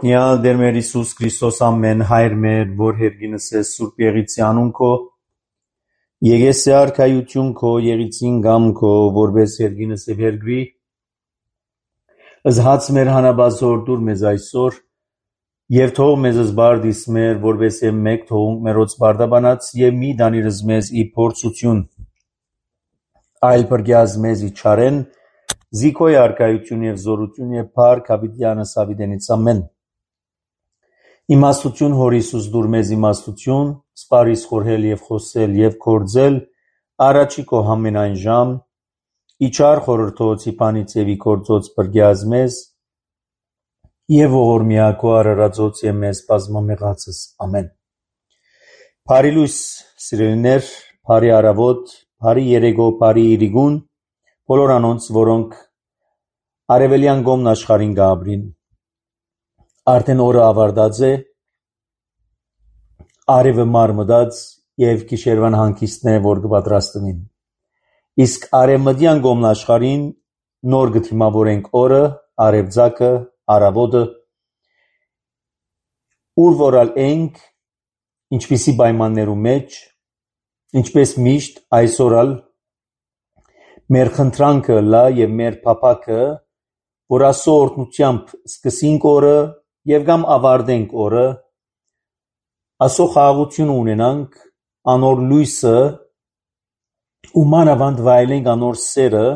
Օրհնյալ Տեր մեր Հիսուս Քրիստոս ամեն հայր մեր, որ հերգինս է Սուրբ Եղիցի անուն քո, եկես է արքայություն քո, եղիցին գամ քո, որպես հերգինս է հերգրի, ըզհաց մեր հանաբազոր դուր մեզ այսօր, և թող մեզ զբարդիս մեր, որպես է մեկ թողունք մերոց բարդաբանած, և մի դանիրս մեզ ի փորձություն, այլ պրգյազ մեզ ի չարեն, զիքոյ արքայություն և զորություն և փառք հավիտյանս հավիտենից ամեն։ Իմաստություն Հոր Հիսուս դուր մեզ իմաստություն, սպարիս խորհել և խոսել և գործել, առաջի քո համենայն ժամ, իչար խորհրդոց իպանից և ի գործոց պրգյազ մեզ, և ողորմյա քո արարածոց և մեզ բազմամեղացս ամեն։ Բարի լույս սիրելիներ, բարի առավոտ, բարի երեկո, բարի իրիգուն, բոլոր անոնց, որոնք արևելյան կողմն աշխարհին գաբրին, արդեն օրը ավարտած է, արևը մարմտած և գիշերվան հանգիստն է, որ կպատրաստվին։ Իսկ արևմտյան կողմն աշխարհին նոր կդիմավորենք օրը, արևծագը, առավոտը, ուր որալ ենք, ինչպիսի պայմաններու մեջ, ինչպես միշտ այսօրալ մեր խնդրանքը լա և մեր փափակը, որ Աստծո օրհնությամբ սկսենք օրը և կամ ավարտենք օրը, Աստծո խաղաղությունը ունենանք, անոր լույսը ու մանավանդ վայելենք անոր սերը,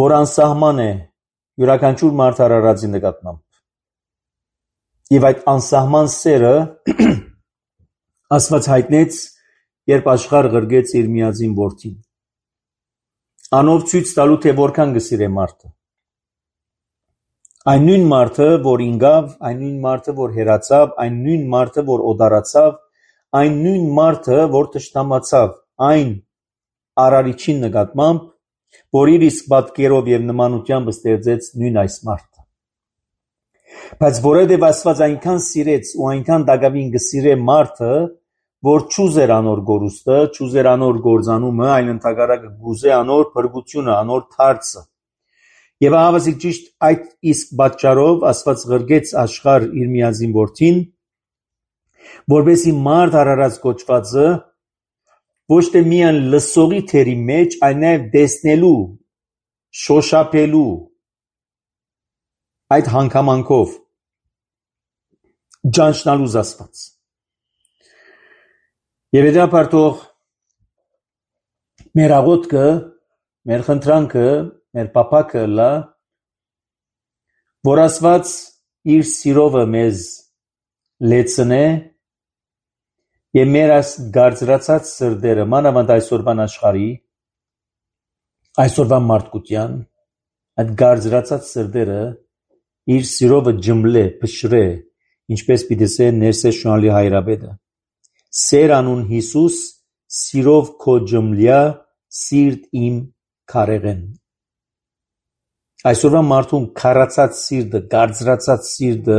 որ անսահման է յուրաքանչյուր մարդ արարածի նկատմամբ։ Եվ այդ անսահման սերը Աստված հայտնեց, երբ աշխարհ ղրկեց իր միածին որդին։ Անով ցույց տալու, թե որքան կսիրե մարդը։ Այն նույն մարդը, որ ինգավ, այն նույն մարդը, որ հեռացավ, այն նույն մարդը, որ օտարացավ, այն նույն մարդը, որ թշնամացավ, այն արարիչին նկատմամբ, որ իր իսկ պատկերով և նմանությամբ ստեղծեց նույն այս մարդը։ Բայց որովհետև Աստված այնքան սիրեց ու այնքան դակավին կսիրե մարդը, որ չուզեր անոր գորուստը, չուզեր անոր գործանումը, այլ ընդհակառակը կուզե անոր փրկությունը, անոր դարձը։ Եվ ահավասիկ ճիշտ այդ իսկ պատճառով Աստված ղրկեց աշխարհ իր միածին որդին, որպեսզի մարդ արարած կոչվածը ոչ թե միայն լսողի թերի մեջ, այլ նաև տեսնելու, շոշափելու այդ հանգամանքով ճանչնալու Աստված։ Եվ հետապար թող մեր աղոթքը, մեր խնդրանքը, մեր փափակը լա, որ Աստված իր սիրովը մեզ լեցնե և մեր այս գարձրացած սրտերը, մանավանդ այսօրվան աշխարհի, այսօրվան մարդկության, այդ գարձրացած սրտերը իր սիրովը ջմլե, փշրե, ինչպես պիտի ասե ներսես շնորհալի հայրապետը։ Սեր անուն Հիսուս, սիրով քո ջմլյա, սիրտ իմ քարեղեն։ Այսօրվա մարդուն քարացած սիրտը, գարձրացած սիրտը,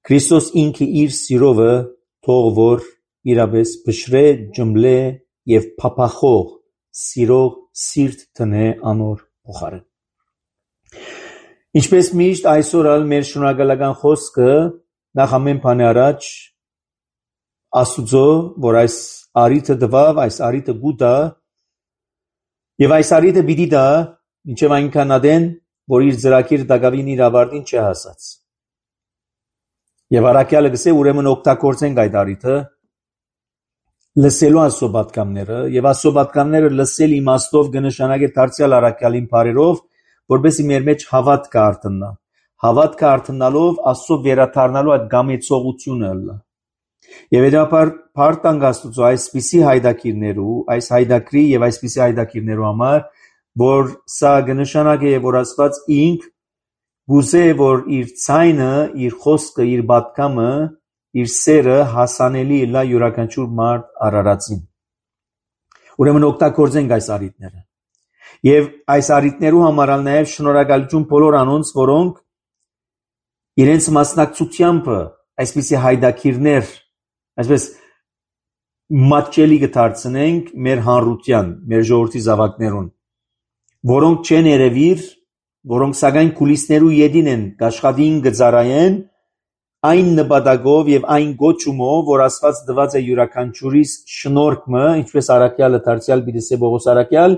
Քրիստոս ինքը իր սիրովը թող որ իրապես փշրե, ջմլե և փափախող սիրող սիրտ տնե անոր փոխարեն։ Ինչպես միշտ այսօրալ մեր շնորհակալական խոսքը նախ ամեն բանի առաջ Աստուծո, որ այս առիթը տվավ, այս առիթը գուտա և այս առիթը պիտի տա, մինչև այնքան ադեն, որ իր ծրագիր դակավին իր ավարտին չի հասած։ Եվ առաքյալը կսե ուրեմն օգտագործենք այդ առիթը, լսելու Աստծո պատգամները, և Աստծո պատգամները լսել իմաստով կնշանակե դարձյալ առաքյալին բարերով, որպեսզի մեր մեջ հավատքը արթնա։ Հավատքը արթնալով Աստծո վերադառնալու այդ գամեցողությունը լա։ Եվ հետապար փառք տանք Աստուծո այսպիսի հայդակիրներու, այս հայդակրի և այսպիսի հայդակիրներու համար, որ սա կնշանակե, որ Աստված ինք գուզե, որ իր ցայնը, իր խոսքը, իր պատգամը, իր սերը հասանելի լա յուրաքանչյուր մարդ արարածին։ Ուրեմն օգտագործենք այս առիթները։ Եվ այս առիթներու համար նաև շնորհակալություն բոլոր անոնց, որոնք իրենց մասնակցությամբ այսպիսի հայդակիրներ, այսպես մատչելի կդարձնենք մեր հանրության, մեր ժողովրդի զավակներուն, որոնք չեն երևիր, որոնք սակայն կուլիսներու յետին են աշխատին գծարայեն այն նպատակով եւ այն գոչումով, որ Աստված տված է յուրաքանչյուրիս շնորհքը, ինչպես Արաքյալը դարձյալ Պիտեսե Բողոս Արաքյալ,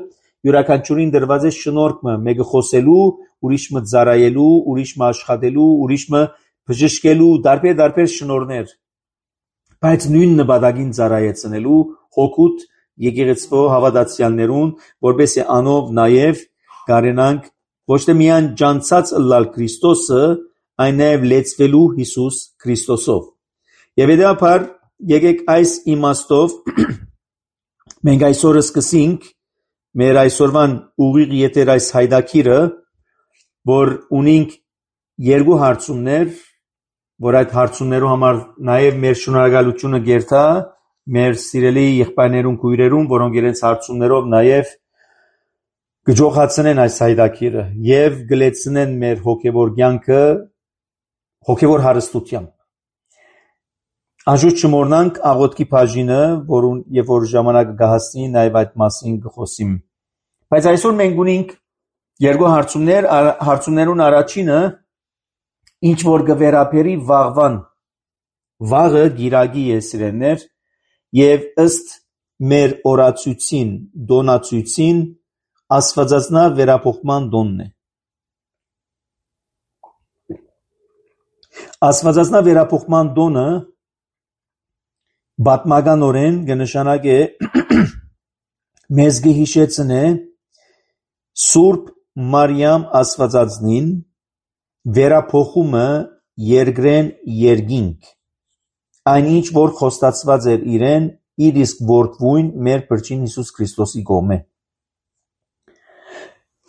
յուրաքանչյուրին դրված է շնորհքը, մեկը խոսելու, ուրիշը ծառայելու, ուրիշը աշխատելու, ուրիշը բժշկելու, տարբեր շնորհներ, բայց նույն նպատակին ծառայեցնելու հոգուտ եկեղեցու հավատացյալներուն, որպեսզի անով նաև կարենանք ոչ թե միայն ճանցած ըլլալ Քրիստոսը, այն նաև լեցվելու Հիսուս Քրիստոսով։ Եվ հետաբար եկեք այս իմաստով մենք այսօր սկսենք մեր այսօրվան ուղիղ եթեր այս հայդակիրը, որ ունենք երկու հարցումներ, որ այդ հարցումներու համար նաև մեր շնորհակալությունը գերտա մեր սիրելի եղբայրներուն քույրերուն, որոնք իրենց հարցումներով նաև գջոխացնեն այս հայդակիրը եւ գլեցնեն մեր հոգեվոր կյանքը հոգեվոր հարստությամբ։ Անշուշտ չմոռնանք աղոթքի բաժինը, որուն եւ որ ժամանակը կհասնի նաև այդ մասին կխոսիմ։ Բայց այսօր մենք ունենք երկու հարցումներ, հարցումներուն առաջինը ինչ որ կվերապերի վաղվան, վաղը գիրագի է սիրելներ եւ ըստ մեր օրացույցին, դոնացույցին աստվածածնա վերապոխման դոնն է։ Աստվածածնա վերապոխման դոնը բատմականորեն կնշանակե մեզ կհիշեցնե Սուրբ Մարիամ Աստվածածնին վերապոխումը երկրեն երկինք, այնինչ որ խոստացված էր իրեն իր իսկ որդվույն մեր Փրկին Հիսուս Քրիստոսի կողմէ։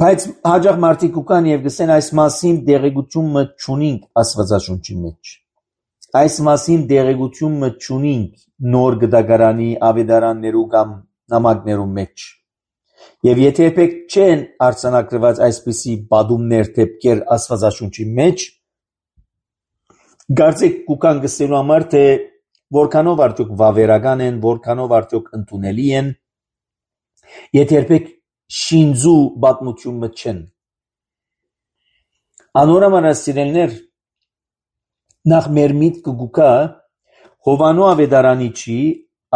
Բայց հաջող մարդիկ կան եւ գսեն այս մասին դեղեցությունը չունենք Աստվածաշունչի մեջ։ Այս մասին դեղեցությունը չունենք նոր գդագարանի ավետարաններու կամ նամակներու մեջ։ Եվ եթե եպեք չեն արձանագրված այսպիսի բադումներ դեպքեր Աստվածաշունչի մեջ, կարծեք կուքան գսելու համար թե որքանով արդյոք վավերական են, որքանով արդյոք ընդունելի են, եթե եպեք շինձու պատմությունը չեն։ Անորոմանս սիրելներ, նախ մեր միտքը գուկա Հովանու ավետարանիչի,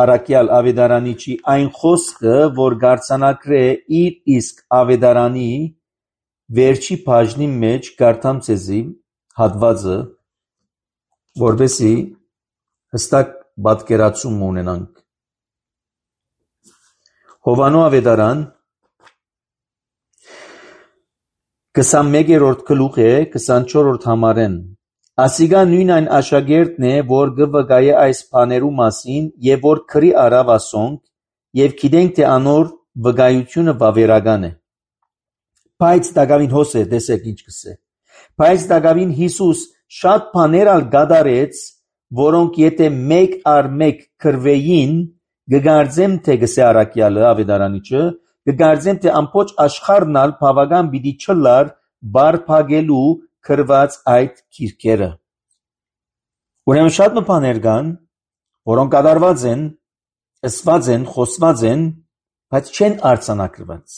Արաքյալ ավետարանիչի այն խոսքը, որ գարցանակրե իր իսկ ավետարանի վերջի բաժնի մեջ կարդամ ցեզի հատվածը, որպեսզի հստակ պատկերացում ունենանք։ Հովանու ավետարան 21-րդ գլուխ է 24-րդ համարեն։ Ասիկա նույն այն աշակերտն է, որ գվգայե այս բաներու մասին եւ որ քրի արավ ասոնք եւ գիտենք թե անոր վկայությունը վավերական է։ Բայց դակավին հոսե տեսեք ինչ կսե։ Բայց դակավին Հիսուս շատ բաներ ալ գադարեց, որոնք եթե մեկ առ մեկ քրվեին, գգարձեմ թե գսե Արաքյալը ավետարանիչը, գգարձեմ թե ամբողջ աշխարհն ալ բավական պիտի չլար բարփակելու քրված այդ քիրքերը։ Ուրեմն շատ բաներ կան, որոնք կատարված են, ըսված են, խոսված են, բայց չեն արձանագրված։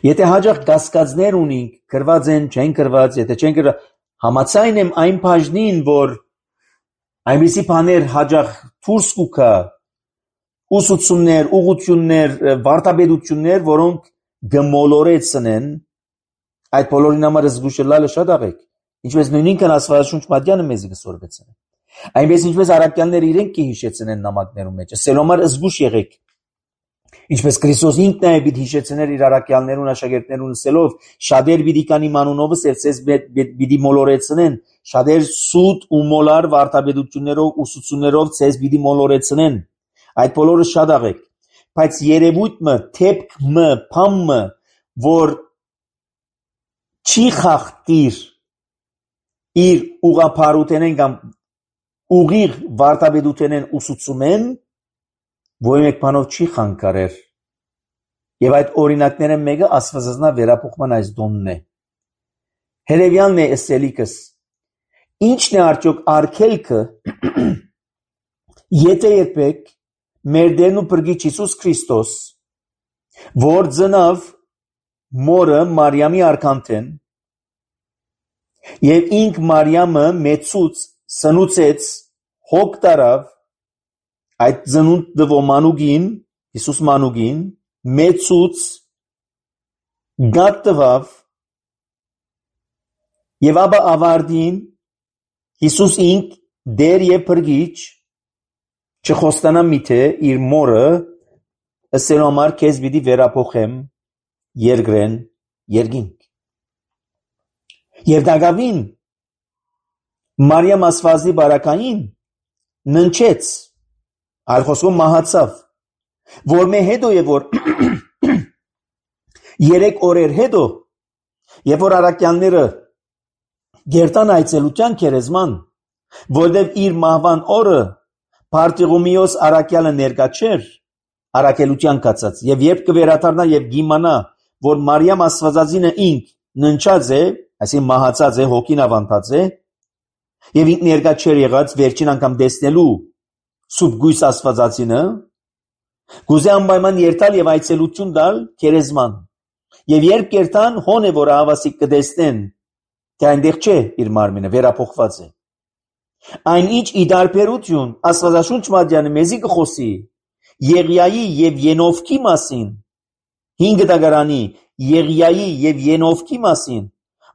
Եթե հաջող կասկածներ ունենք, քրված են, չեն քրված, եթե չեն քրված, համաձայն եմ այն բաժնին, որ այնպիսի բաներ հաջող դուրս կուքա, ուսուցումներ, ուղղություններ, վարդապետություններ, որոնք գմոլորեցնեն, այդ բոլորին համար զգուշելալը շատ աղեք, ինչպես նույնինքն Աստվածաշունչ մատյանը մեզ կսորվեցնեն։ Այնպես ինչպես առաքյալները իրենք կհիշեցնեն նամակներում մեջ, սելոմար զգուշ եղեք, ինչպես Քրիստոս ինքն է պիտի հիշեցներ իր առաքյալներուն, աշակերտներուն սելով, շատեր պիտի կան իմ անունովս եւ ցեզ պիտի մոլորեցնեն, շատեր սուտ ու մոլար վարդապետություններով, ուսուցումներով ցեզ պիտի մոլորեցնեն։ Այդ բոլորը շատ աղեք, բայց երևույթը, թեփքը, փամը, որ չի խախտիր իր ուղղափառութենեն կամ ուղիղ վարդապետութենեն ուսուցումեն, ոչ մեկ բանով չի խանգարեր։ Եվ այդ օրինակները մեկը Աստվածածնա վերապոխման այս դոնն է։ Հետևյալն է ասելիքս. ինչն է արդյոք արգելքը, եթե երբեք մեր Տերն ու Փրկիչ Հիսուս Քրիստոս, որ ծնավ մորը Մարիամի արքանթեն եւ ինք Մարիամը մեծուց սնուցեց հոգ տարավ այդ ծնունդը մանուկին Հիսուս մանուկին մեծուց գատ տվավ եւ ապա ավարտին Հիսուս ինք դեր եւ փրկիչ չխոստանա միթե իր մորը ասելու համար քեզ պիտի վերափոխեմ երկրեն երկինք եւ դակավին Մարիամ ասվածի բարակային ննչեց այլ խոսքով մահացավ որ մե հետո եւ որ 3 օրեր հետո եւ որ արաքյանները գերտան այցելության քերեզման որտեւ իր մահվան օրը Պարտիղոմիոս արաքյալը ներկա չէր արաքելության կացած եւ երբ կվերադառնա եւ գիմանա որ Մարիամ Աստվածածինը ինք ննչած է այսինքն մահացած է հոգին ավանդած է եւ ինք ներկա չէր եղած վերջին անգամ տեսնելու սուրբ գույս Աստվածածինը գուզե անպայման երթալ եւ այցելություն տալ քերեզման եւ երբ կերտան հոն է որ հավասիկ կտեսնեն թե այնտեղ չէ իր մարմինը վերափոխված է այնինչ ի դարբերություն Աստվածաշունչ մատյանը մեզի կխոսի Եղիայի եւ Ենովքի մասին 5 դագարանի Եղիայի եւ Ենովքի մասին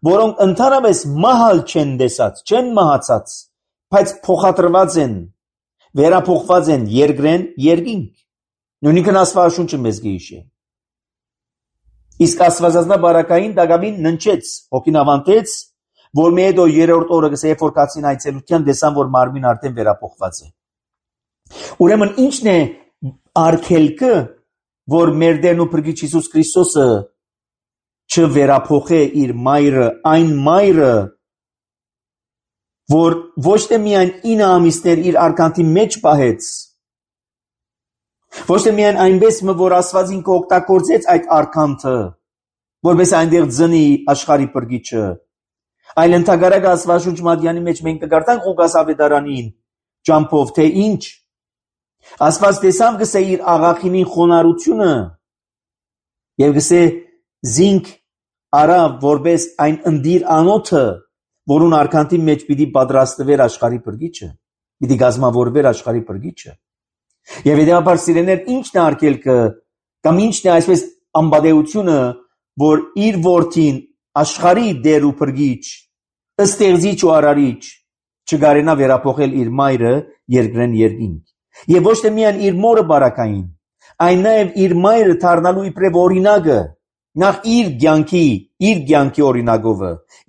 որոնք ընդհանրապես մահալ չեն տեսած չեն մահացած բայց փոխադրված են վերափոխված են երկրեն երկինք նույնիսկ Աստվածաշունչը մեզ գիշե իսկ Աստվածածնա բարակային դակավին ննչեց հոգին ավանդեց որ մի հետո 3-րդ օրը գսե որ կացին այցելության տեսան որ մարմին արդեն վերափոխված է ուրեմն ինչն է արգելքը որ մեր Տերն ու Փրկիչ Հիսուս Քրիստոսը չվերափոխե իր մայրը այն մայրը որ ոչ թե միայն 9 ամիսներ իր արքանթի մեջ պահեց ոչ թե միայն այնպես որ Աստվածին կօգտագործեց այդ արքանթը որպես այնտեղ ծնի աշխարհի Փրկիչը այլ ընդհանրակ Աստվածաշունչ մատյանի մեջ մենք կգարտանք Ղուկաս ավետարանին ճամփով թե ինչ Աստված տեսավ գսե իր աղախինին խոնարհությունը եւ գսե զինք արա որպես այն ընդիր անոթը որուն արքանթի մեջ պիտի պատրաստվեր աշխարհի Փրկիչը պիտի գազմավորվեր աշխարհի Փրկիչը եւ հետեւաբար սիրեներ ինչն է արգելքը կամ ինչն է այսպես անբադեությունը որ իր որդին աշխարհի դեր ու Փրկիչ ըստեղծիչ ու արարիչ չգարենա վերափոխել իր մայրը երկրեն երկինք եւ ոչ թե միայն իր մորը բարակային այն նաեւ իր մայրը դառնալու իբրև օրինակը նախ իր կյանքի օրինակով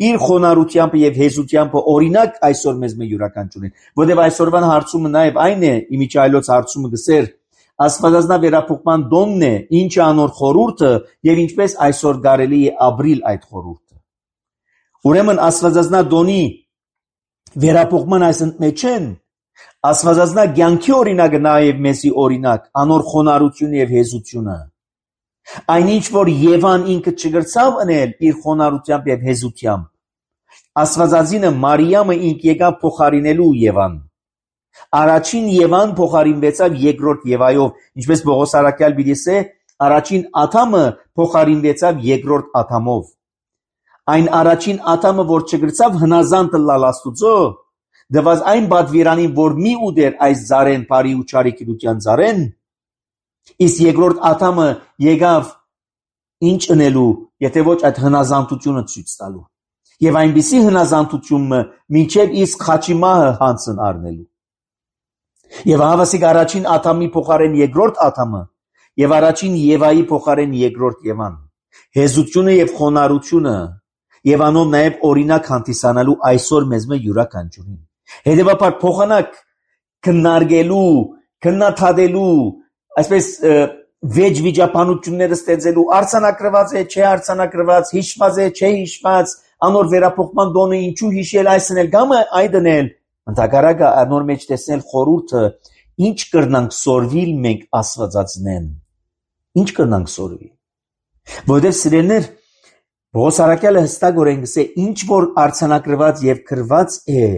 իր խոնարհությամբ եւ հեզությամբ օրինակ այսօր մեզ յուրաքանչյուրին որովհետեւ այսօրվան հարցումը նաեւ այն է իմիջայլոց հարցումը գսեր Աստվածածնա վերափոխման դոնն է ինչ անոր խորհուրդը եւ ինչպես այսօր կարելի է ապրիլ այդ խորհուրդը ուրեմն Աստվածածնա դոնի վերափոխման այս ընդմեջեն Աստվածածնա կյանքի օրինակը նաեւ մեզի օրինակ անոր խոնարհությունը եւ հեզությունը այնինչ որ Եվան ինքը չգրցավ անել իր խոնարհությամբ եւ հեզությամբ Աստվածածինը Մարիամը ինք եկավ փոխարինելու Եվան Առաջին Եվան փոխարինվեցավ երկրորդ Եվայով ինչպես Պողոս առաքյալ բիդեսե առաջին Ադամը փոխարինվեցավ երկրորդ Ադամով այն առաջին Ադամը որ չգրցավ հնազանդ լալ Աստուծո դված այն բադվիրանին որ մի ուդեր այս զարեն բարի ու չարիքության զարեն իսկ երկրորդ Ադամը եկավ ինչ ընելու եթե ոչ այդ հնազանդությունը ցույց տալու եւ այնպիսի հնազանդությունը մինչեւ իսկ խաչիմահը հանցն առնելու եւ հավասիկ առաջին Ադամի փոխարեն երկրորդ Ադամը եւ առաջին Եվայի փոխարեն երկրորդ Եվան հեզությունը եւ խոնարհությունը եւ անով նաեւ օրինակ հանդիսանալու այսօր մեզ յուրաքանչյուրին հետեւաբար փոխանակ քննարկելու քննադատելու այսպես վեճ վիճապանությունները ստեղծելու արցանակրված է չէ արցանակրված հիշված է չէ հիշված անոր վերափոխման դոնը ինչու հիշել այսն էլ գամը այդնել ընդհակառակը անոր մեջ տեսնել խորհուրդը ինչ կրնանք սորվիլ մենք Աստվածածնեն ինչ կրնանք սորվի որովհետև սիրելիներ Պողոս առաքյալը հստակորեն գսե ինչ որ արցանակրված եւ քրված է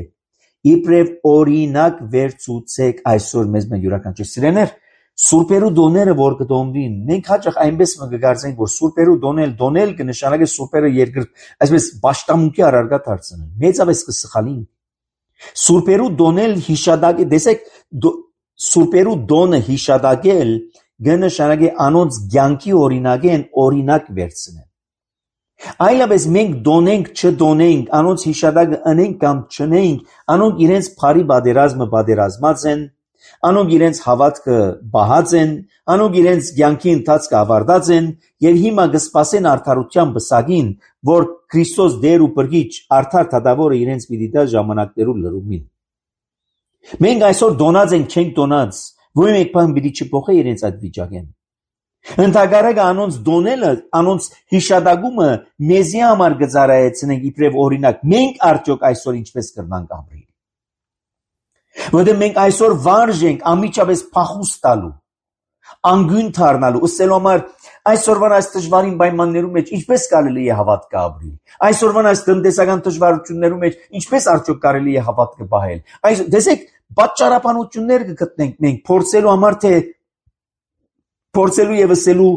իբրև օրինակ վերցուցեք այսօր մեզ յուրաքանչյուր սիրելիներ Սուրբերու դոները որ կդոնվին, մենք հաճախ այնպես կգարձենք, որ սուրբերու դոնել կնշանակի սուրբերը երկրորդ, այսպես պաշտամունքի առարգա դարձնել։ Մեծապես կսխալին։ Սուրբերու դոնել հիշադակի, տեսեք, սուրբերու դոնը հիշադակել կնշանակի անոնց կյանքի օրինակեն օրինակ վերցնել։ Այլապես մենք դոնենք, չդոնենք, անոնց հիշադակը ընենք կամ չնենք, անոնք իրենց բարի պատերազմը պատերազմած են, անոնք իրենց հավատքը բահած են, անոնք իրենց կյանքի ընթացքը ավարտած են եւ հիմա կսպասեն արդարության բսակին, որ Քրիստոս Տեր ու Փրկիչ արդար թադավորը իրենց պիտի տա ժամանակներու լրումին։ Մենք այսօր դոնած ենք, չենք դոնած, որ մեկ բան պիտի չփոխի իրենց այդ վիճակեն։ Ընդհակառակը անոնց դոնելը, անոնց հիշադակումը մեզի համար կծառայեցնենք իբրև օրինակ։ Մենք արդյոք այսօր ինչպես կրնանք ապրել։ Որտեղ մենք այսօր վարժ ենք ամիջապես փախուստ տալու, անգույն դառնալու, ըսելու համար այսօրվան այս դժվարին պայմաններում մեջ ինչպես կարելի է հավատք ապրել։ Այսօրվան այս տնտեսական դժվարություններում մեջ ինչպես արդյոք կարելի է հավատքը պահել։ Այս տեսեք, պատճառաբանություններ կգտնենք մենք փորձելու համար, թե փորձելու եւ ասելու,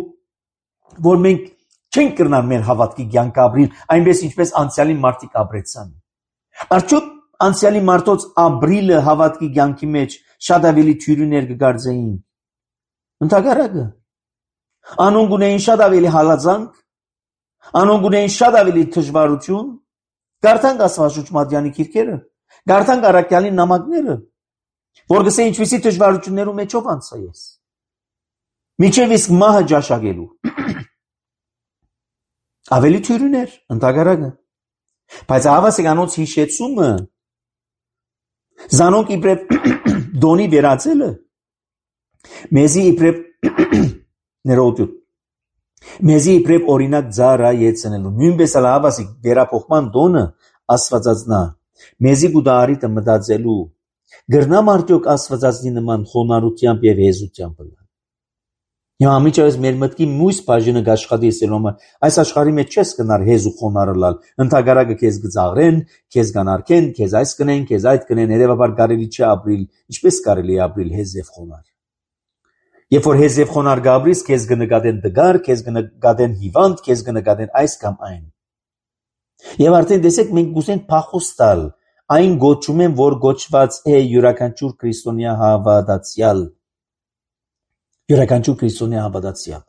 որ մենք չենք կրնալ մեր հավատքի կյանք ապրել, այնպես ինչպես անցյալի մարդիկ ապրեցան։ Արդյոք անցյալի մարդոց ապրիլը հավատքի կյանքի մեջ շատ ավելի թյուրիներ կգարձեին։ Ընդհակառակը, անոնք ունեին շատ ավելի հալածանք, անոնք ունեին շատ ավելի դժվարություն, կարդանք Աստվածաշունչի քիրքերը, կարդանք առաքյալի նամակները, որ գսե ինչպիսի դժվարություններում մեջով անցա ես։ Միջև իսկ մահը ճաշակելու։ Ավելի թյուրիներ, ընդհակառակը։ Բայց հավասիկ անոնց հիշեցումը, զանոնք իբրև դոնի վերածելը, մեզի իբրև ներողություն, մեզի իբրև օրինակ ծառայեցնելու, նույնպես էլ հավասիկ վերափոխման դոնը աստվածածնա, մեզի գուդարիտը մտածելու, գրնամ արդյոք աստվածածնի նման խոնարհությամբ եւ հեզությամբ լալ։ Հիմա ամիջապես մեր մտքի մույս բաժինը գաշխատի ասելու համար այս աշխարհի մեջ չես կնար հեզ ու խոնարհ լալ, ընդհակառակը քեզ գծաղրեն, քեզ կանարգեն, քեզ այս կնեն, քեզ այդ կնեն, հետևաբար կարելի չի ապրել, ինչպես կարելի է ապրել հեզ եւ խոնարհ։ Երբ որ հեզ եւ խոնարհ գաբրիս, քեզ կնկատեն դգար, քեզ կնկատեն հիվանդ, քեզ կնկատեն այս կամ այն։ Եվ արդեն տեսեք մենք գուսենք փախուստալ, այն գոչում են, որ գոչված է յուրաքանչյուր քրիստոնյա հավատացյալ։ Յուրաքանչյուր քրիստոնյա հավատացյալ։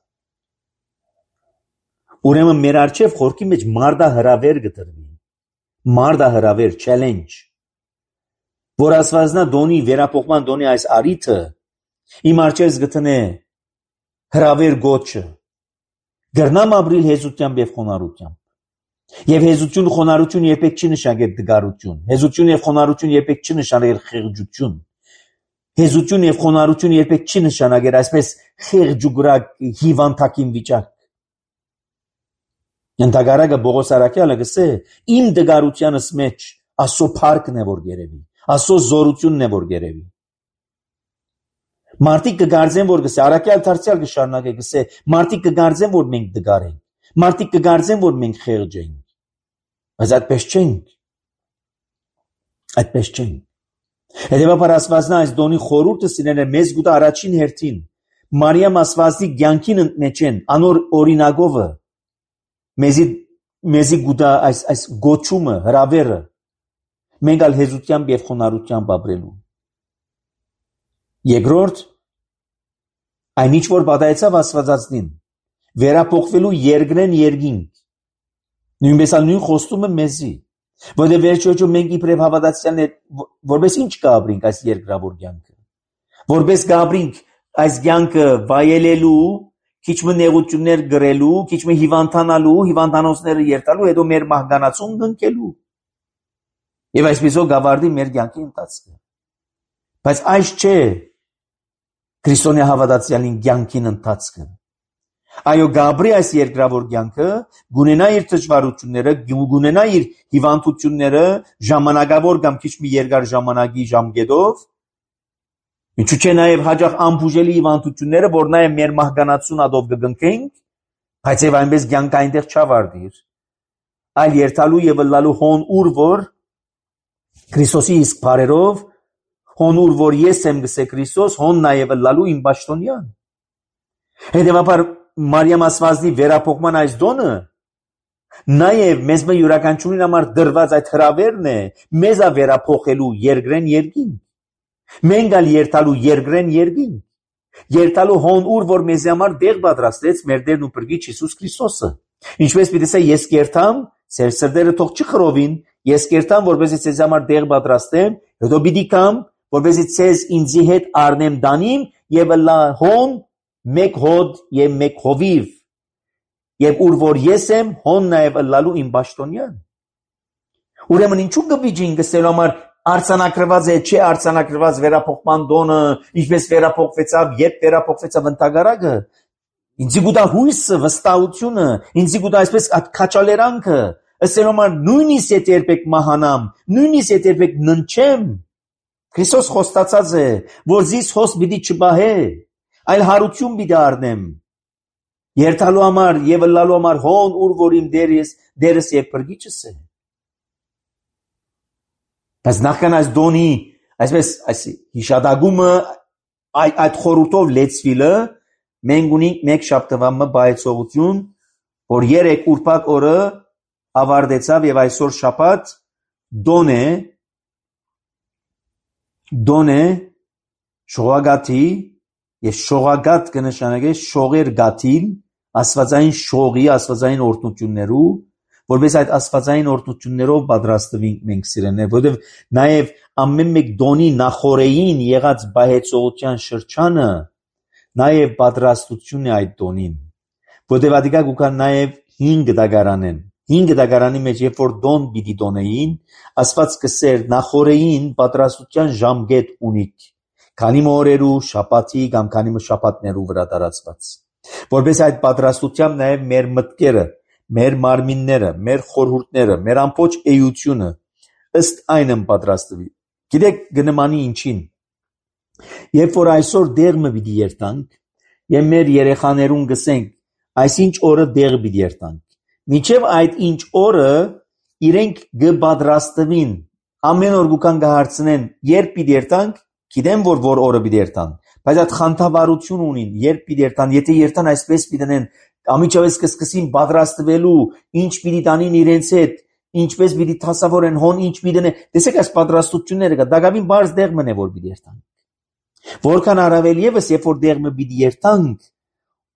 Ուրեմն մեր արչև խորքի մեջ մարդահրավեր կտրվի, մարդահրավեր challenge, որ ասվածնա դոնի վերափոխման դոնի այս արիթը իմ արչև գտնե հրավեր գոչը, գրնամ ապրիլ հեզությամբ եւ խոնարհությամբ։ Եվ հեզություն ու խոնարհություն երբեք չի նշանակել դգարություն, հեզություն եւ խոնարհություն երբեք չի նշանակել խեղճություն։ Հեզություն եւ խոնարհություն երբեք չի նշանակել այսպես խեղճուգրակ հիվանդակին վիճակ։ Ընդհակառակը Պողոս առաքյալը գսե իմ դգարությանս մեջ Աստծո փառքն է որ գերեվի, Աստծո զորությունն է որ գերեվի։ Մարդիկ կգարձեն որ գսե առաքյալ դարձյալ կշարունակե գսե մարդիկ կգարձեն որ մենք դգար ենք, մարդիկ կգարձեն որ մենք խեղճ ենք։ Բայց այդպես չենք։ Այդպես չենք։ Հետևաբար ասվածնա այս դոնի խորուրդը սիրել է մեզ գուտա առաջին հերթին Մարիամ ասվածի կյանքին ընտնեչեն անոր օրինակովը մեզի գուտա այս գոչումը հրավերը մենք ալ հեզությամբ եւ խոնարհությամբ ապրելու։ Երկրորդ այն ինչ որ պատահեցավ աստվածածնին վերափոխվելու երկրեն երկինք նույնպես ալ նույն խոստումը մեզի որտեղ վերջոջում մենք իբրև հավատացյալներ որպես ինչ կապրինք այս երկրավոր կյանքը որպես կապրինք այս կյանքը վայելելու քիչ մը նեղություններ գրելու քիչ մը հիվանդանալու հիվանդանոցները երթալու հետո մեր մահկանացուն գնքելու եւ այսպեսով գավարդի մեր կյանքի ընթացքը բայց այս չէ քրիստոնյա հավատացյալին կյանքին ընթացքը այո գաբրի այս երկրավոր կյանքը գունենա իր դժվարությունները գունենա իր հիվանդությունները ժամանակավոր կամ քիչ մի երկար ժամանակի ժամկետով ինչու՞ չէ նաև հաջող անբուժելի հիվանդությունները որ նաև մեր մահկանացուն ադով կգնքենք բայց եւ այնպես կյանքը այնտեղ չավարտիր այլ երթալու եւ լալու հոն ուր որ Քրիստոսի իսկ բարերով Հոն ուր որ ես եմ գսե Քրիստոս, հոն նաև լալու իմ պաշտոնյան։ Հետևաբար Մարիամ ասվածնի վերափոխման այս դոնը նաև մեզ մը յուրաքանչյուրին համար դրված այդ հրավերն է մեզա վերափոխելու երկրեն երկինք։ Մենք ալ երթալու երկրեն երկինք։ Երթալու հոն ուր որ մեզ համար դեղ պատրաստեց մեր Տերն ու Փրկիչ Հիսուս Քրիստոսը։ Ինչպես պիտի ասե ես կերտամ, ձեր սրտերը թող չխռովին, ես կերտամ, որպեսզի ձեզ համար դեղ պատրաստեմ, հետո պիտի կամ, որպեսզի ձեզ ինձի հետ առնեմ դանիմ եւ լա հոն մեկ հոդ եւ մեկ հովիվ։ Եվ ուր որ ես եմ, հոն նաև լալու իմ պաշտոնյան։ Ուրեմն ինչու գվիջին գսելու համար արձանագրված է, չէ արձանագրված վերափոխման դոնը, ինչպես վերափոխվեցավ, երբ վերափոխվեցավ ընդհանրակը, ինձի գուտա հույսը, վստահությունը, ինձի գուտա այսպես քաչալերանքը, ըսել համար նույնիսկ եթե երբեք մահանամ, նույնիսկ եթե երբեք ննչեմ, Քրիստոս խոստացած է, որ զիս հոս պիտի չբահե, այլ հարություն պիտի առնեմ։ Երթալու համար եւ լալու համար հոն ուր որ իմ դերս եւ Փրկիչս է։ Բայց նախքան այս դոնի, այսպես այս հիշադակումը այդ խորհուրդով լեցվիլը, մենք ունենք մեկ շաբթվա բայեցողություն, որ երեք ուրբաթ օրը ավարտեցավ եւ այսօր շաբաթ դոն է շողագաթի եւ շողագաթ կնշանակե շողեր գաթիլ աստվածային շողի աստվածային օրհնություններու, որպես այդ աստվածային օրհնություններով պատրաստվենք մենք սիրելիներ, որովհետեւ նաեւ ամեն մեկ դոնի նախորեին եղած բայեցողության շրջանը նաեւ պատրաստություն է այդ դոնին, որովհետեւ ադիկա գուքան նաեւ 5 դագարանեն 5 դագարանի մեջ երբ որ դոն պիտի դոնեին, Աստված կսեր նախորեին պատրաստության ժամկետ ունիկ, քանի օրերու, շաբաթի կամ քանի շաբաթներու վրա տարածված, որպես այդ պատրաստությամբ նաև մեր մտքերը, մեր մարմինները, մեր խորհուրդները, մեր ամբողջ էությունը ըստ այն պատրաստվի։ Գիտեք գնմանի ինչին։ Երբ որ այսօր դեղը պիտի երթանք, եւ մեր երեխաներուն գսենք, այսինչ օրը դեղը պիտի երթանք։ Մինչև այդ ինչ օրը իրենք կպատրաստվին, ամեն օր գուքան կհարցնեն, երբ պիտի երթանք, գիտեմ որ օրը պիտի երթան, բայց այդ խանդավառություն ունին, երբ պիտի երթան, եթե երթան այսպես պիտի դնեն, ամիջավես կսկսին պատրաստվելու, ինչ պիտի տանին իրենց հետ, ինչպես պիտի թասավորեն, հոն ինչ պիտի դնեն, տեսեք այս պատրաստությունները կա, դակավին բարձ դեղ մնե որ պիտի երթանք։ Որքան առավել եւս, երբ որ դեղ պիտի երթանք,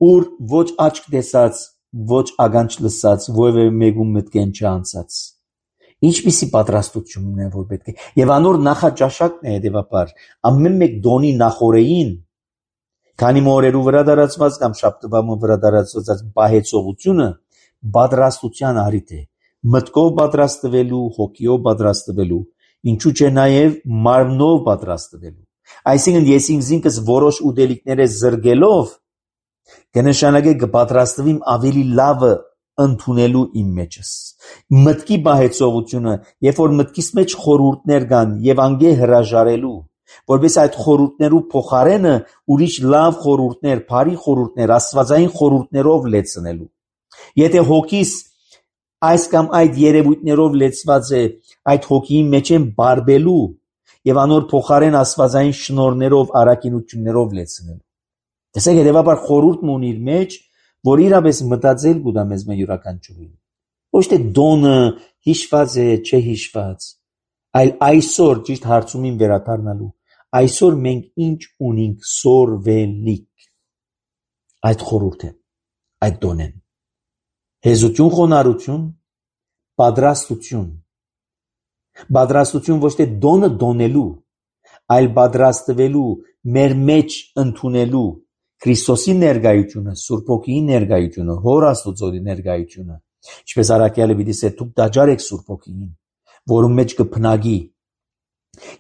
ուր ոչ աչք տեսած, ոչ ականջ լսած, որևէ մեկում մտքեն չանցած։ Ինչպիսի պատրաստությունն է որ պետք է։ Եվ անոր նախաճաշակն է հետևաբար ամեն մեկ դոնի նախորեին, քանի օրերու վրա դարածված կամ շաբթվա վրա դարածված բայեցողությունը պատրաստության առիթ է։ Մտքով պատրաստվելու, հոգիով պատրաստվելու, ինչու՞ չէ նաև մարմնով պատրաստվելու։ Այսինքն ես ինքս որոշ ուտելիքներ զրկելով կնշանակե կպատրաստվիմ ավելի լավը ընդունելու իմ մեջս։ Մտքի բայեցողությունը, երբ որ մտքիս մեջ խորհուրդներ կան եւ անգե հրաժարելու, որպես այդ խորհուրդներու փոխարենը ուրիշ լավ խորհուրդներ, բարի խորհուրդներ, աստվածային խորհուրդներով լեցնելու։ Եթե հոգիս այս կամ այդ երևույթներով լեցված է, այդ հոգիի մեջ են բարբելու եւ անոր փոխարեն աստվածային շնորներով, արակինություններով լեցնելու։ Տեսեք, հետևաբար խորհուրդն ունի իր մեջ, որ իրապես մտածել գուտա մեզ մե յուրաքանչյուրին։ Ոչ թե դոնը հիշված է, չէ հիշված, այլ այսօր ճիշտ հարցումին վերադառնալու, այսօր մենք ինչ ունենք սորվելիք։ Այդ խորհուրդը, այդ դոնեն։ Հեզություն, խոնարհություն, պատրաստություն։ Պատրաստություն ոչ թե դոնը դոնելու, այլ պատրաստվելու, մեր մեջ ընդունելու Քրիստոսի ներկայությունը, Սուրբ Հոգիի ներկայությունը, Հոր Աստծոյի ներկայությունը, ինչպես Արաքյալը պիտի ասե, դուք դաջար եք Սուրբ Հոգիին, որում մեջ կփնագի։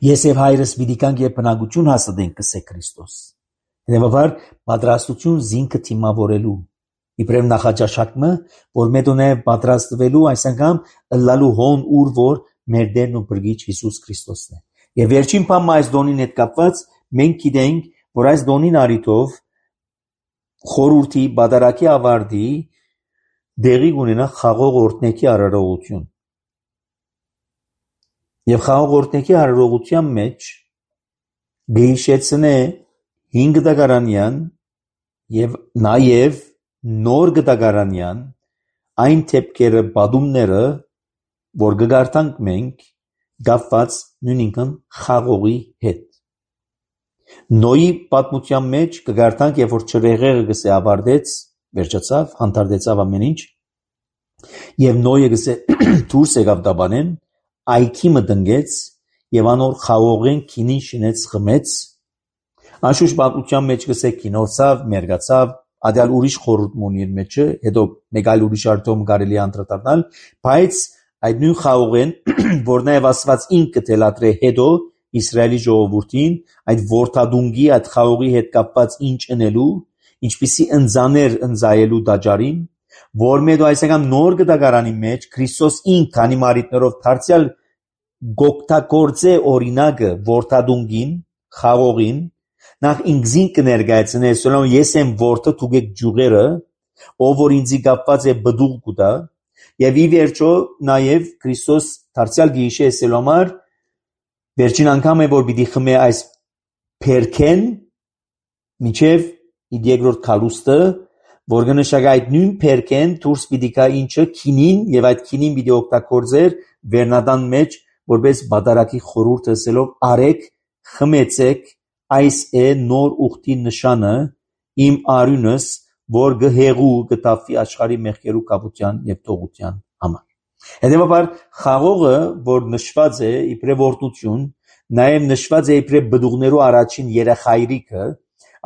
Ես եւ հայրս պիտի կանք եւ բնակություն հասցնենք կսե Քրիստոս։ Հետևաբար պատրաստություն զինքը թիմավորելու, իբրև նախաճաշակը, որ մեդոնե պատրաստվելու, այս անգամ լալու հոն ուր որ մեր Տերն ու Փրկիչ Հիսուս Քրիստոսն է։ Եվ վերջին բանը այս դոնին հետ կապված մենք գիտենք, որ այս դոնին առիթով խորհրդի բادرակի ավարտի դեղի ունենա խաղող օրհնեքի արարողություն։ Եվ խաղող օրհնեքի արարողության մեջ գիշեցնե 5 դագարանյան եւ նաեւ նոր դագարանյան այն թեփքերը բադումները որ գարտանք մենք գապված նույնքն խաղողի հետ նոյի պատմության մեջ կգարտանք երբ որ ճրեղերը գսե ավարտեց վերջացավ հանդարտեցավ ամեն ինչ եւ նոյը գսե դուրս եկավ դաբանեն այքի մտնեց եւ անոր խաղողեն քինին շինեց խմեց Անշուշտ պատմության մեջ գսե կինոցավ, մերգացավ, ադյալ ուրիշ խորհուրդ ունի իր մեջը, հետո մեկ այլ ուրիշ արտոմ կարելի անդրադառնալ, բայց այդ նույն խաղողեն, որ նաև Աստված ինքը թելադրե հետո Իսրայելի ժողովրդին, այդ որդադունգի, այդ խաղողի հետ կապված ինչ ընելու, ինչպիսի ընձաներ ընձայելու դաջարին, որ մեդո այսական նոր գդագարանի մեջ Քրիստոս ինքը քանի մարիտներով դարձյալ գոկտակորձե օրինակը որդադունգին, խաղողին Նախ ինքզին կներգայացնե սոլոմ ես եմ որդը թուգեք ջուղերը ով որ ինձի կապված է բդուղ կուտա եւ ի վերջո նաեւ Քրիստոս դարձյալ գիշե է սոլոմար վերջին անգամ է որ պիտի խմե այս փերքեն միջև իր երկրորդ քալուստը որ կնշանակի այդ նույն փերքեն դուրս պիտի գա ինչը քինին եւ այդ քինին պիտի օգտագործեր վերնադան մեջ որպես բادرակի խորհուրդ ասելով արեք խմեցեք Այս է նոր ուխտի նշանը իմ արյունս, որ գհեղու գտավի աշխարհի մեղքերու կապության եւ տողության համար։ Հետևաբար խաղողը, որ նշված է իբրև օրտնություն, նաեւ նշված է իբրև բդուղներու առաջին երախայրիկը,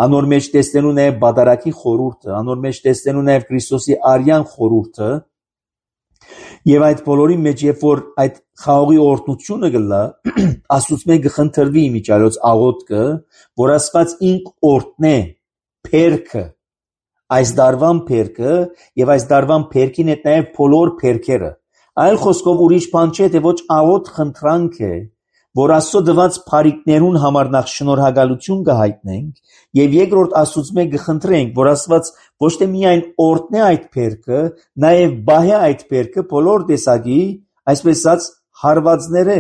անոր մեջ տեսնելու նաեւ բادرակի խորհուրդը, անոր մեջ տեսնելու նաեւ Քրիստոսի արյան խորհուրդը, Եվ այդ բոլորի մեջ երբ որ այդ խաղողի օրտնությունը գլա աստուծմե գխնդրվի միջալոց աղոթքը որ Աստված ինք օրտնե փերքը այս դարվան փերքը եւ այս դարվան փերքին հետ նաեւ բոլոր փերքերը այլ խոսքով ուրիշ բան չէ թե ոչ աղոթ խնդրանք է որ Աստծո դված բարիկներուն համար նախ շնորհակալություն կհայտնենք եւ երկրորդ Աստուծմե գխնդրենք որ Աստված ոչ թե միայն օրտնե այդ փերքը նաեւ բահե այդ փերքը բոլոր տեսակի այսպես ասած հարվածները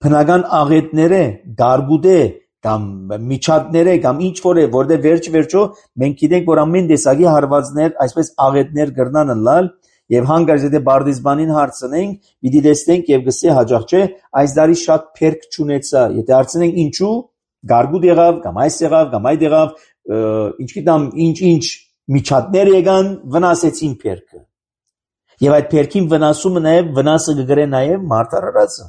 բնական աղետները գարգուդե կամ միջատները կամ ինչ որ է որտեղ վերջո մենք գիտենք որ ամեն տեսակի հարվածներ այսպես աղետներ կրնան լալ Եվ հանգարց եթե բարդիզբանին հարցնենք, պիտի տեսնենք եւ գսե հաջող չէ, այս դարի շատ փերք չունեցա։ Եթե հարցնենք ինչու, գարգուդ եղավ, կամ այս եղավ, կամ այդ եղավ, ինչ գիտեմ, ինչ միջատներ եկան, վնասեցին փերքը։ Եվ այդ փերքին վնասումը նաեւ վնասը կգրե նաեւ մարտարարածը։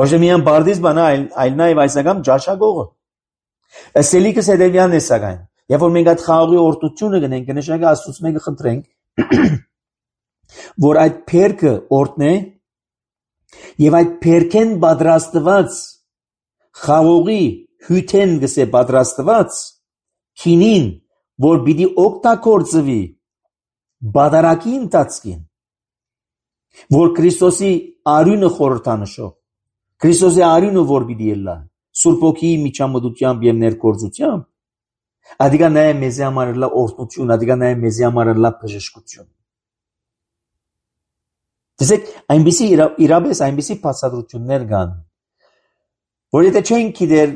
Ոչ թե միայն բարդիզբանը, այլ նաեւ այսական ճաշակողը։ Սելիկս հետևյալն է սակայն։ Երբ որ մենք այդ խաղողի օրտությունը գնենք, կնշանակի Աստծուց մեկը խնդրենք որ այդ փերքը օրտնե եւ այդ փերքեն պատրաստված խաղողի հյութեն գսե պատրաստված քինին որ պիտի օգտագործվի բادرակի ընթացքին որ Քրիստոսի արյունը խորհրդանշող Քրիստոսի արյունը որ պիտի ելա Սուրբ Օքիի միջամտությամբ եւ ներկործությամբ ադիգա նաեւ մեզի համար լա օրտնություն ադիգա նաեւ մեզի համար լա բժշկություն Տեսեք, այնպիսի իրապես այնպիսի բացատրություններ կան, որ եթե չենք գիտեր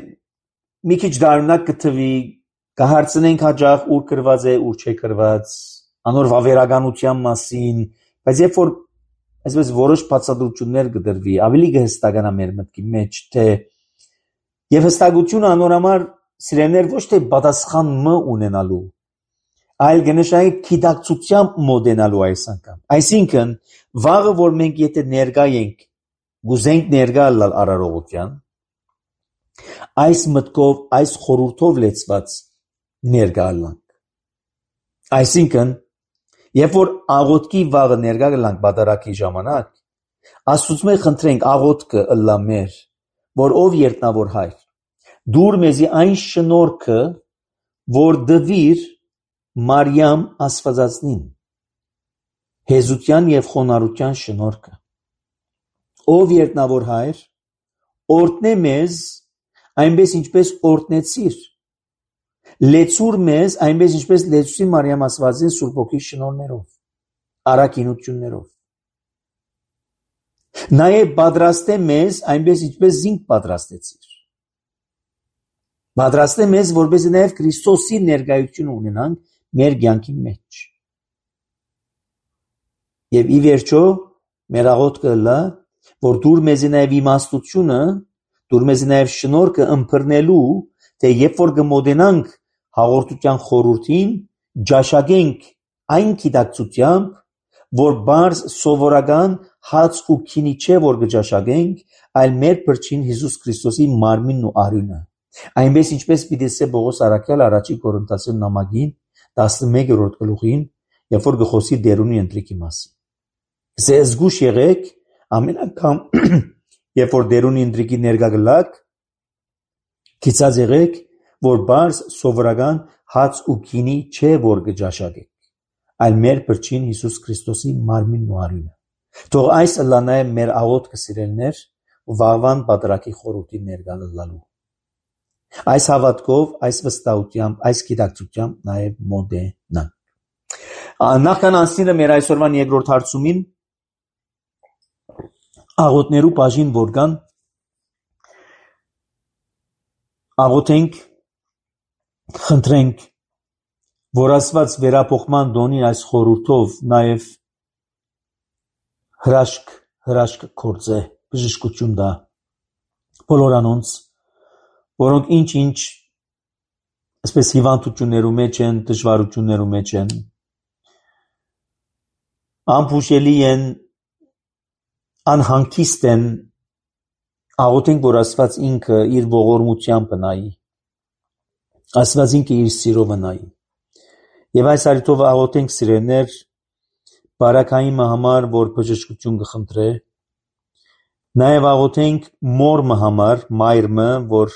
մի քիչ դառնակ կթվի, կհարցնենք հաջող ուր գրված է, ուր չէ գրված, անոր վավերականության մասին, բայց երբ որ այսպես որոշ բացատրություններ կդրվի, ավելի կհստականա մեր մտքի մեջ, թե եւ հստակությունը անոր համար սիրելիներ ոչ թե պատասխան ունենալու այլ գնշայի քիդակցությամբ մոդենալու այս անգամ։ Այսինքն, վաղը որ մենք եթե ներկա ենք, գուզենք ներկա լալ արարողության, այս մտքով, այս խորհուրդով լեցված ներկա լանք։ Այսինքն, երբ որ աղոթքի վաղը ներկա լանք բادرակի ժամանակ, Աստծուց մենք խնդրենք աղոթքը ըլլա մեր, որ ով երտնավոր հայր, դուր մեզի այն շնորհքը, որ դվիր Մարիամ Աստվածածնին հեզության եւ խոնարհության շնորհքը ով երտնավոր հայր օրտնե մեզ այնպես ինչպես օրտնեցիր լեցուր մեզ այնպես ինչպես լեցուցի Մարիամ Աստվածին Սուրբ Օքի շնորհներով արակինություններով նաեւ պատրաստե մեզ այնպես ինչպես զինք պատրաստեցիր Պատրաստ է մեզ, որպեսզի նաև Քրիստոսի ներկայությունը ունենանք մեր կյանքի մեջ։ Եվ ի վերջո մեր աղոթքը լա, որ դուր մեզի նաև իմաստությունը, դուր մեզի նաև շնորհքը ըմբռնելու, թե երբ որ կմոտենանք հաղորդության խորհրդին, ճաշակենք այն գիտակցությամբ, որ բարձ սովորական հաց ու քինի չէ, որ կճաշակենք, այլ մեր Փրկին Հիսուս Քրիստոսի մարմինն ու արյունը։ Այնպես ինչպես պիտի ասե Պողոս առաքյալ առաջի Կորինթացին նամակին 11-րդ գլուխին, երբ որ գխոսի դերունի ընտրիկի մասին։ Սե զգուշ եղեք ամեն անգամ, երբ որ դերունի ընտրիկի ներկա գլաք, գիծած եղեք, որ բարձ սովորական հաց ու քինի չէ, որ կճաշակենք, այլ մեր Փրկին Հիսուս Քրիստոսի մարմինն ու արյունը։ Թող այս լա նաև մեր աղոթքը սիրելիներ, վաղվան պատրակի խորհրդի ներկա լալու։ Այս հավատքով, այս վստահությամբ, այս գիտակցությամբ նաև մոտենանք։ Նախքան անցնելը մեր այսօրվան երկրորդ հարցումին աղոթներու բաժին որ կան, աղոթենք, խնդրենք, որ Աստված վերափոխման դոնի այս խորհրդով նաև հրաշք կործե, բժշկություն տա բոլոր անոնց, որոնք ինչ այսպես հիվանդություններու մեջ են, դժվարություններու մեջ են, անփուշելի են, անհանգիստ են, աղոթենք, որ Աստված ինքը իր ողորմությամբ նայի, Աստված ինքը իր սիրով նայի։ Եվ այս առիթով աղոթենք սիրելիներ, բարակային համար, որ բժշկություն կխնդրե, նաև աղոթենք մորմը համար, մայրմը, որ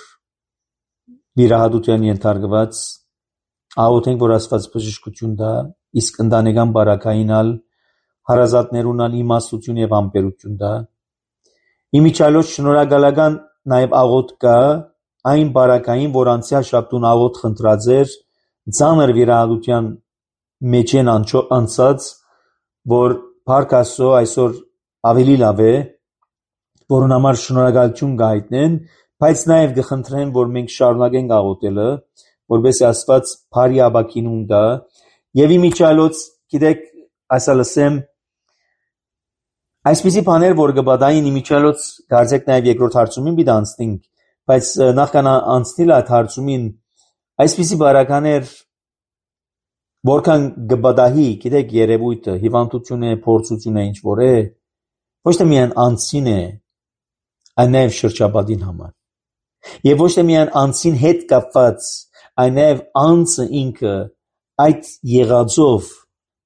վիրահատության ենթարկված, աղոթենք, որ Աստված բժշկություն տա, իսկ ընտանեկան բարակայինալ, հարազատներունալ իմաստություն եւ ամպերություն տա։ Իմիջիալոց շնորհակալական նաև աղոթք կա այն բարակային, որ անցյալ շաբթուն աղոթ խնդրած էր, ծանր վիրահատության մեջ են անցած, որ Փառք Աստծո այսօր ավելի լավ է, որուն համար շնորհակալություն կհայտնեն, բայց նաև կխնդրեն, որ մենք շարունակենք աղոթելը, որպեսզի Աստված բարի ապակինում տա, եւ իմիջիալոց, գիտեք, այսա լսեմ, այսպիսի բաներ, որ կպատահին իմիջիալոց, կարծեք նաև երկրորդ հարցումին պիտի անցնենք, բայց նախքան անցնել այդ հարցումին, այսպիսի բարականեր, որքան կպատահի, գիտեք, երևույթը, հիվանդություն է, փորձություն է, ինչ որ է, ոչ թե միայն անձին է, այլ նաև շրջապատին համար։ Եվ ոչ թե միայն անձին հետ կապված, այլ նաև անձը ինքը այդ եղածով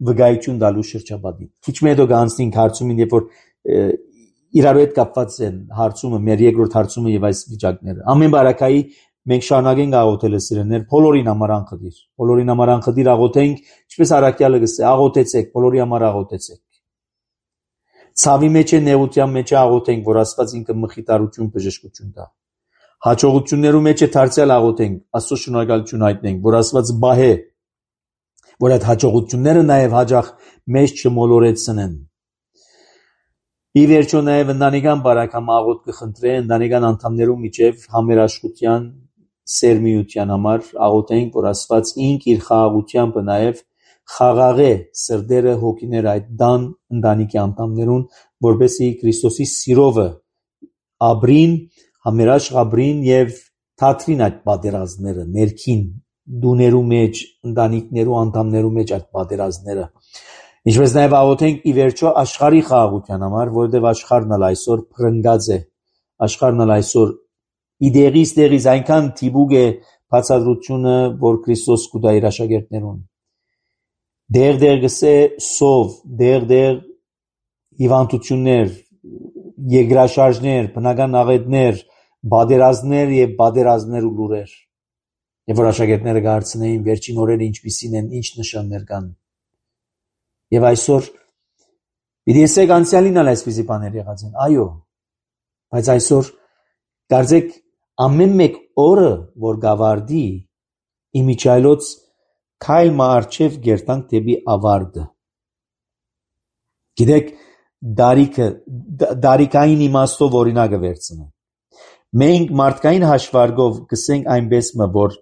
վկայություն տալու շրջապատին։ Քիչ հետո կանցնենք հարցումին, երբ որ իրար հետ կապված են հարցումը, մեր երկրորդ հարցումը եւ այս վիճակները։ Ամեն բարակայի մենք շարունակենք աղոթելը սիրելիներ, բոլորին համար անխտիր։ Բոլորին համար անխտիր աղոթենք, ինչպես առաքյալը գսե, աղոթեցեք, բոլորի համար աղոթեցեք։ Ցավի մեջ է, նեղության մեջ է աղոթենք, որ Աստված ինքը մխիթարություն, բժշկություն տա։ Հաջողություններու մեջ է դարձյալ աղոթենք, Աստծո շնորհակալություն հայտնենք, որ Աստված բահե, որ այդ հաջողությունները նաև հաջող մեզ չմոլորեցնեն։ Ի վերջո նաև ընտանեկան բարակամ աղոթք կխնդրե, ընտանեկան անդամներու միջև համերաշխության, սերմիության համար աղոթենք, որ Աստված ինք իր խաղաղությամբ նաև խաղաղե սրտերը, հոգիները այդ դան ընտանիքի անդամներուն, որպեսզի Քրիստոսի սիրովը ապրին, համերաշխ ապրին եւ թատրին այդ պատերազմները, ներքին դուներու մեջ, ընտանիքներու անդամներու մեջ այդ պատերազմները։ Ինչպես նաև աղոթենք ի վերջո աշխարհի խաղաղության համար, որովհետև աշխարհն էլ այսօր փրկած է, աշխարհն էլ այսօր իդեղից այնքան թիբուկ է բացատրությունը, որ Քրիստոս կուտա իր աշակերտներուն։ Դեր գսե սով, դեր հիվանդություններ, երկրաշարժներ, բնական աղետներ, բادرազներ եւ բادرազներ ու լուրեր։ Եվ որ աշակերտները կհարցնեին վերջին օրերը ինչպիսին են, ինչ նշաններ կան։ Եվ այսօր պիտի ասեք անցյալին էլ այսպիսի բաներ եղած են, այո, բայց այսօր կարծեք ամեն մեկ օրը, որ գավարդի, իմիջայլոց քայլ մարջև գերտանք դեպի ավարտը։ Գիտեք, դարիքային իմաստով օրինակը վերցնեմ։ Մենք մարդկային հաշվարկով կսենք այնպես որ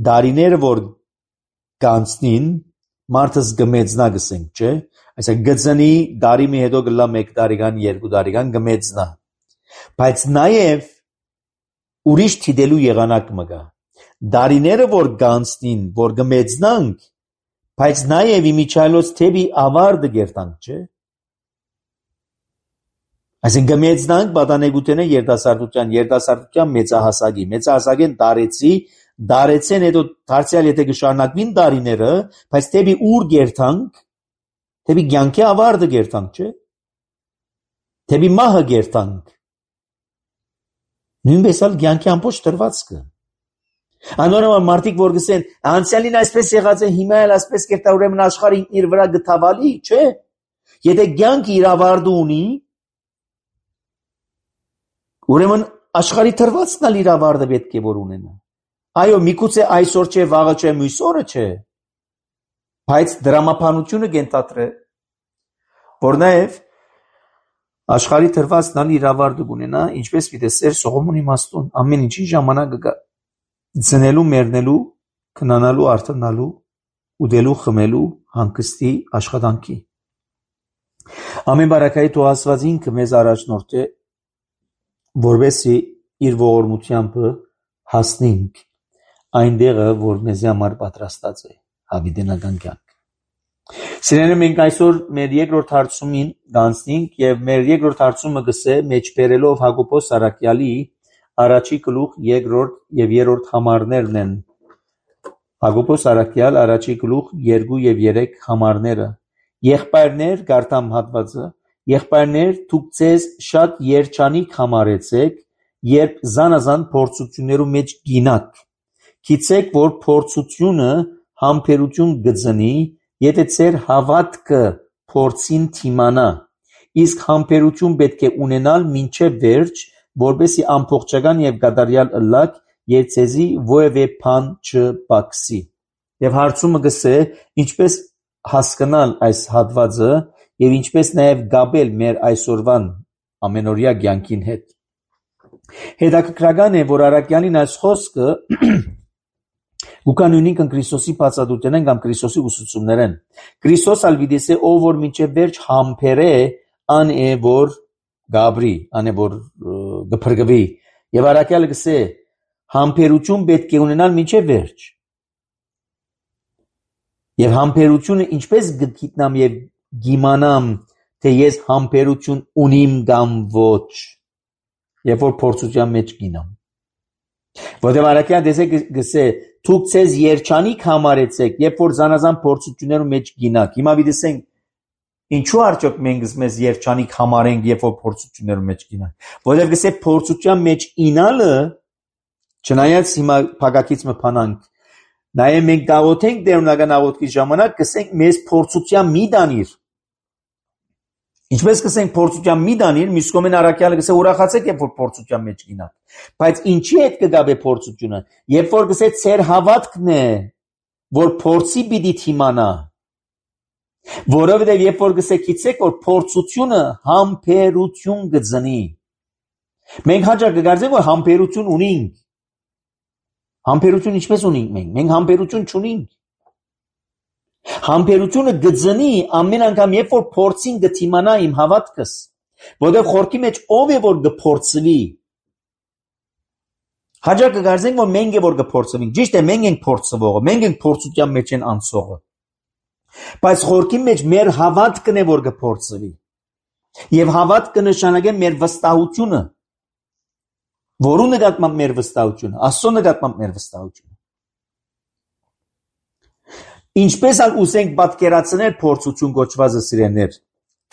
դարիները որ կանցնին մարդը կմեծնա գսենք, չէ՞։ Այսինքն գծնի դարի մի հետո գլա 1 տարեկան, 2 տարեկան կմեծնա։ Բայց նաև ուրիշ թիդելու եղանակ մգա։ Դարիները որ կանցնին, որ կմեծնանք, բայց նաև իմիջայլոց թեպի ավարտը գերտանք, չէ՞։ Այսինքն կմեծնանք պատանեկութենը երիտասարդության մեծահասակին դարեցեն հետո դարձյալ եթե կշարունակվին դարիները, բայց թեպի ուր գերտանք, թեպի կյանքի ավարտը գերտանք, չէ՞։ Թեպի մահը գերտանք։ Նույնպես էլ կյանքի ամբողջ դրվածքը։ Անորոշ մարդիկ որ գսեն, անցյալին այսպես եղած է, հիմա էլ այսպես կերտա, ուրեմն աշխարհին իր վրա գտավալի, չէ՞։ Եթե կյանքը իր ավարտը ունի, ուրեմն աշխարհի դրվածքն էլ իր ավարտը պետք է որ ունենա։ Այո, միգուցե այսօր չէ, վաղը չէ, մյուս օրը չէ, բայց դրամապանությունը կենտատրե, որ նաև աշխարհի դրվածքն էլ իր ավարտը ունենա, ինչպես պիտի Սեր Սողոմոնի իմաստուն, ամեն ինչի ժամանակը կա։ Ծնելու, մեռնելու, քնանալու, արթնալու, ուտելու, խմելու, հանգստի, աշխատանքի։ Ամեն բարակայի թող Աստված ինքը մեզ առաջնորդե, որովհետեւ իր ողորմությամբ հասնենք այնտեղը, որ մեզ համար պատրաստած է հավիտենական կյանք։ Սիրելիներ, մենք այսօր մեր երկրորդ հարցումին կանցնենք եւ մեր երկրորդ հարցումը գսե մեջբերելով Հակոբոս Արաքյալի առաջի գլուխ երկրորդ եւ երրորդ համարներն են։ Հակոբոս Արաքյալ առաջի գլուխ 2 եւ 3 համարները։ Եղբայրներ, գարտամ հատվածը, եղբայրներ, դուք ձեզ շատ երջանիկ համարեցեք, երբ զանազան փորձություններու մեջ գինակ։ Գիտեք, որ փորձությունը համբերություն գծնի, եթե ձեր հավատքը փորձին թիմանա, իսկ համբերություն պետք է ունենալ մինչև վերջ, որպեսզի ամբողջական եւ կատարյալ ըլլաք, եւ ցեզի որևէ բան չպակսի։ Եվ հարցումը գսե, ինչպես հասկանալ այս հատվածը եւ ինչպես նաեւ գաբել մեր այսօրվան ամենօրյա կյանքին հետ։ Հետաքրքրական է, որ Արաքյալին այս խոսքը Ուկանունին Քրիստոսի բացատրությունն կամ Քրիստոսի ուսուցումներն։ Քրիստոս ալվիդեսե ով որ մինչև վերջ համբերե ան է որ գաբրի, ան է որ գփրկվի։ Եվ Արաքյալը գսե համբերություն պետք է ունենալ մինչև վերջ։ Եվ համբերությունը ինչպես գտնամ եւ գիմանամ, թե ես համբերություն ունիմ կամ ոչ, երբ որ փորձության մեջ գինամ։ Որտեղ Արաքյալը դեսեք գսե դուք ցեզ երջանիկ համարեցեք, երբ որ զանազան փորձություններու մեջ գինակ։ Հիմա դեսենք ինչու արդյոք մենք մեզ երջանիկ համարենք, երբ որ փորձություններու մեջ գինանք։ Որտեղ գսե փորձության մեջ ինալը, չնայած հիմա փակակից մը փանանք, նաեւ մենք գաղութենք դերունական աղոթքի ժամանակ գսենք մեզ փորձության մի դանիր։ Ինչպես կսենք փորձության մի դանիր, մյուս կողմեն Արաքյալը գսե ուրախացեք, երբ որ փորձության մեջ գինաք։ Բայց ինչի հետ կգաբե փորձությունը։ Երբ որ գսե ծեր հավատքն է, որ փորձի պիտի թիմանա։ Որովհետև երբ որ գսե գիտեք, որ փորձությունը համբերություն գծնի։ Մենք հաճախ կգարձենք, որ համբերություն ունենք։ Համբերություն ինչպես ունենք մենք։ Մենք համբերություն չունենք։ Համբերությունը գծնի ամեն անգամ երբ որ փորձին գտիմանա իմ հավատքս, որտեղ խորքի մեջ ով է որ գփորձվի։ Հաջող կգարձենք, որ մենք է որ գփորձվենք։ Ճիշտ է, մենք ենք փորձվողը, մենք ենք փորձության մեջ են անցողը։ Բայց խորքի մեջ մեր հավատքն է որ գփորձվի։ Եվ հավատքը նշանակե մեր վստահությունը։ Որու նկատմամբ մեր վստահությունը, Աստծո նկատմամբ մեր վստահությունը։ Ինչպես ուզենք պատկերացնել փորձություն կոչվածը սիրելիներ,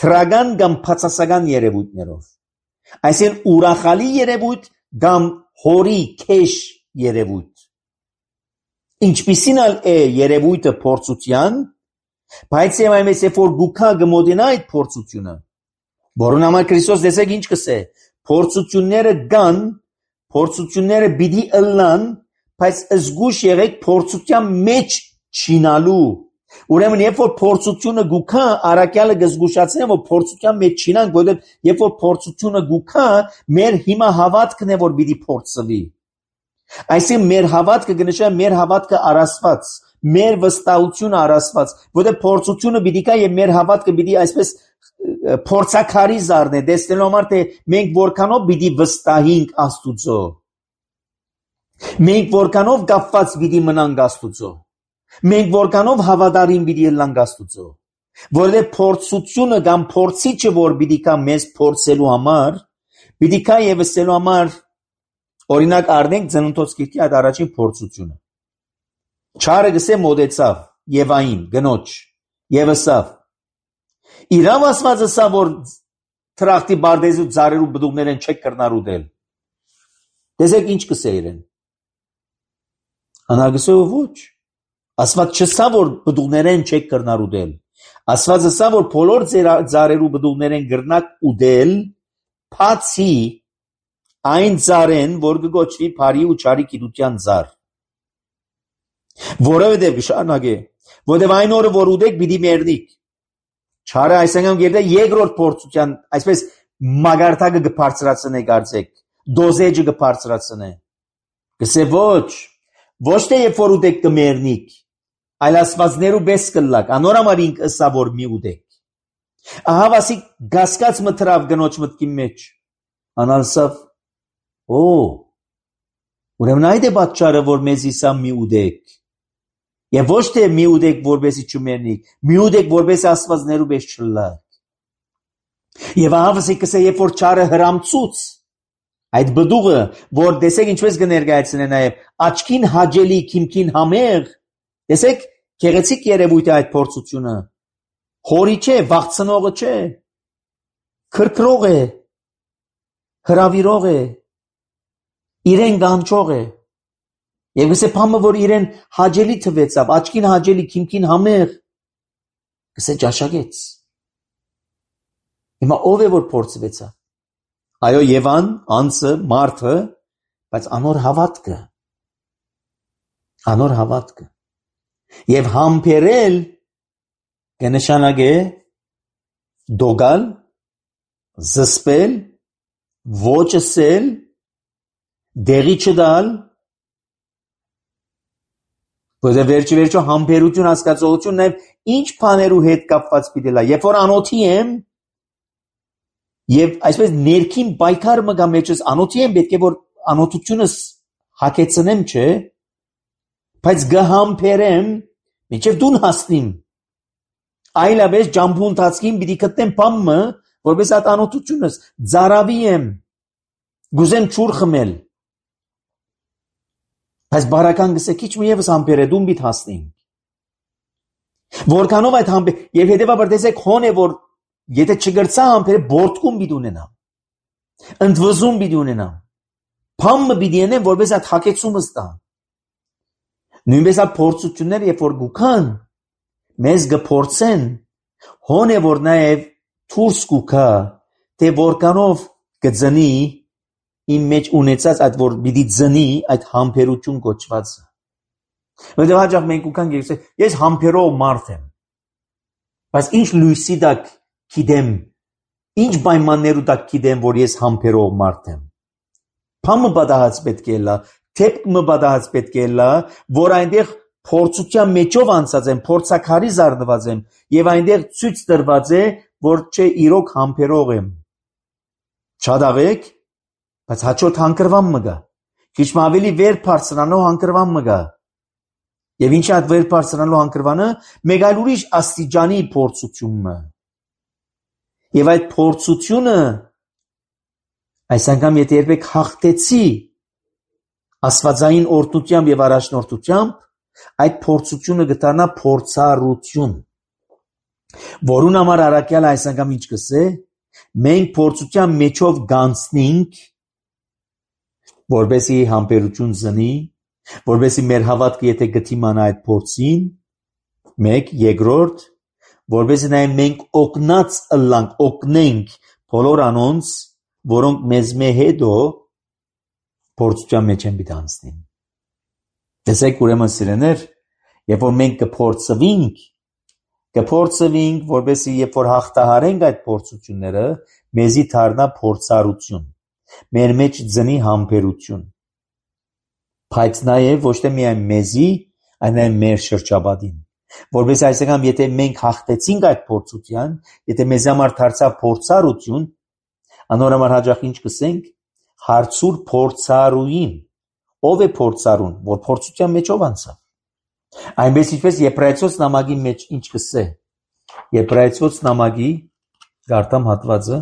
թրական կամ փածասական երևույթներով։ Այսինքն ուրախալի երևույթ կամ հորի քեշ երևույթ։ Ինչպիսին է երևույթը փորձության, բայց եւ այնպես երբ որ գուքա գմոդենա այդ փորձությունը, որոնց համար Քրիստոս դեսեք ինչ կսե, փորձությունները կան, փորձությունները պիտի ըլլան, բայց զգուշ եղեք փորձության մեջ չինալու, Ուրեմն երբ որ փորձությունը գուքա, առաքյալը գզգուշացնի, որ փորձության մեջ չինանք, որովհետև երբ որ փորձությունը գուքա, մեր հիմա հավատքն է, որ պիտի փորձվի։ Այսինքն մեր հավատքը կնշանակի մեր հավատքը առասված, մեր վստահությունը առասված, որովհետև փորձությունը պիտի կա եւ մեր հավատքը պիտի այսպես փորձակարի զառնե, տեսնելու համար թե մենք որքանով պիտի վստահենք Աստուծո։ Մենք որքանով կապված պիտի մնանք Աստուծո։ Մենք որքանով հավատարիմ պիտի ելնանք Աստուծո։ Որովհետև փորձությունը կամ փորձիչը որ պիտի կա մեզ փորձելու համար, պիտի կա եւ ասելու համար օրինակ առնենք Ծննդոց գիրքի այդ առաջին փորձությունը։ Չարը գսե մոդեցավ Եվային գնոջ եւ ասավ. Իրավ ասվածը սա որ թրախտի բարդեզու ծառերու բդուղներեն չեք կրնար ուտել։ Տեսեք ինչ կսե իրեն։ Անագսը ոչ։ Ասված չսա որ բդուղներեն չեք կրնար ուտել։ Ասվածը սա որ բոլոր ծառերու բդուղներեն կրնակ ուտել, բացի այն ծառեն, որ կգոչվի բարի ու չարի գիտության ծառ։ Որովհետև շարունակե, որովհետև այն օրը որ ուտեք պիտի մեռնիք։ Չարը այսինքն գերդե երկրորդ փորձության, այսպես մագարտակը կբարձրացնե կարծեք, դոզեջը կբարձրացնե։ Գսե ոչ թե երբ որ ուտեք կմեռնիք, այլ ասվածներու բես կլակ, անորամար ինք ըսա որ մի ուտեք։ Ահա վասի գասկած մտրավ գնոջ մտքի մեջ։ Անալսավ, ուրեմն այդ է պատճառը, որ մեզի սա մի ուտեք։ Եվ ոչ թե մի ուտեք, որպեսի չմեռնիք, մի ուտեք, որպեսի աստվածներու պես չլակ։ Եվ ահա վասի կսե, երբ որ չարը հրամցուց, այդ բդուղը, որ տեսեք ինչպես կներկայացնե նաև աչքին հաճելի, քիմքին համեղ, տեսեք գեղեցիկ երևույթ է այդ փորձությունը։ Խորի չէ, վախցնողը չէ, քրքրող է, հրավիրող է, իրեն կանչող է։ Եվ գսե փամը, որ իրեն հաճելի թվեցավ, աչքին հաճելի, քիմքին համեղ, գսե ճաշակեց։ Հիմա ով է որ փորձվեցավ։ Այո, Եվան, անձը, մարդը, բայց անոր հավատքը։ Եվ համբերել կնշանակե դոգալ, զսպել, ոչ ասել, դեղի չդալ, որտեղ վերջը համբերություն հասկացողություն նաև ինչ բաներու հետ կապված պիտի լա։ Երբ որ անոթի եմ, եւ այսպես ներքին պայքար մը գա մեջս անոթի եմ, պետք է որ անոթությունս հակեցնեմ, չէ, բայց գհամբերեմ, մինչև դուն հասնիմ։ Այլապես ջամփու ընթացքին պիտի գտնեմ բամը, որպես այդ անոթությունս ծարավի եմ, գուզեմ ճուր խմել։ Բայց բարական գսե քիչ մի եւս համբերե դուն պիտի հասնիմ։ Որքանով այդ համբեր եւ հետեւաբար տեսեք հոն է որ եթե չգրծա համբերե բորտկում պիտի ունենամ։ Ընդվզում պիտի ունենամ։ Փամը պիտի ունենեմ որպես այդ հակեցումը ստա։ Նույնպես այդ փորձությունները երբ որ գուքան մեզ գփորձեն հոն է որ նաեւ դուրս գուքա թե որքանով կձնի իմ մեջ ունեցած այդ որ պիտի ձնի այդ համբերություն կոչվածը։ Որտեղ հաջող մենք ուքանք ես համբերող մարդ եմ։ Բայց ինչ լույսի դակ գիտեմ, ինչ պայմաններու դակ գիտեմ, որ ես համբերող մարդ եմ։ Փամը բադահած պետք է լա, թեփքը բադահած պետք է լա, որ այնտեղ փորձության մեջով անցած եմ, փորձակարի զարդված եմ, եւ այնտեղ ցույց տրված է, որ չէ իրոք համբերող եմ։ Չադավեք, բայց հաջորդ հանգրվան մը գա։ Քիչ ավելի վեր բարձրանալու հանգրվան մը գա։ Եվ ինչ այդ վեր բարձրանալու հանգրվանը մեկ այլ ուրիշ աստիճանի փորձությունն է։ Եվ այդ փորձությունը այս անգամ եթե երբեք հաղթեցի աստվածային օրհնությամբ եւ առաջնորդությամբ, այդ փորձությունը կդառնա փորձառություն։ Որուն համար առաքյալը այս անգամ ինչ կսե, մենք փորձության մեջով գանցնենք, որբեսի համբերություն զնի, որբեսի մեր հավատքը եթե գտիմանա այդ փորձին, մեկ, երկրորդ, որբեսի նաև մենք օգնած ըլլանք, օգնենք բոլոր անոնց, որոնք մեզ հետո փորձության մեջ են պիտի անցնին։ Տեսեք ուրեմն սիրեներ, երբ որ մենք կփորձվենք, կփորձվենք, որպեսզի երբ որ հաղթահարենք այդ փորձությունները, մեզի դառնա փորձառություն, մեր մեջ ծնի համբերություն, բայց նաև ոչ թե միայն մեզի, այլ նաև մեր շրջապատին, որպեսզի այսինքն եթե մենք հաղթեցինք այդ փորձության, եթե մեզ համար դարձավ փորձառություն, անորոմար հաճախ ինչ կսենք, հարցուր փորձառուին, ով է փորձառուն, որ փորձության մեջով անցավ, այնպես ինչպես Եբրայեցոց նամակի մեջ ինչ կսե, Եբրայեցոց նամակի գարտամ հատվածը,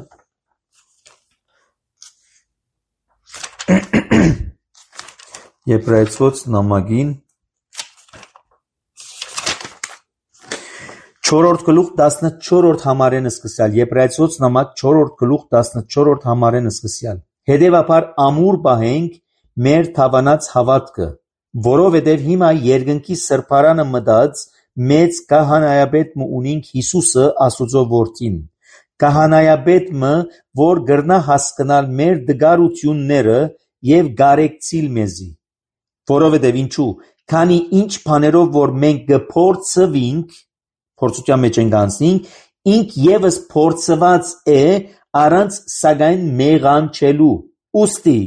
Եբրայեցոց նամակին 4-րդ գլուխ 14-րդ համարեն սկսյալ, Եբրայեցոց նամակ 4-րդ գլուխ 14-րդ համարեն սկսյալ, հետևաբար ամուր պահենք մեր թավանած հավատքը, որովհետև հիմա երկնքի սրբարանը մտած մեծ քահանայապետը ունենք Հիսուսը Աստուծո որդին, քահանայապետը, որ կրնա հասկանալ մեր դգարությունները եւ կարեկցիլ մեզի, որովհետև ինչու, քանի ինչ բաներով որ մենք կփորձվենք, փորձության մեջ ենք անցնենք, ինք եւս փորձված է առանց սակայն մեղանչելու, ուստի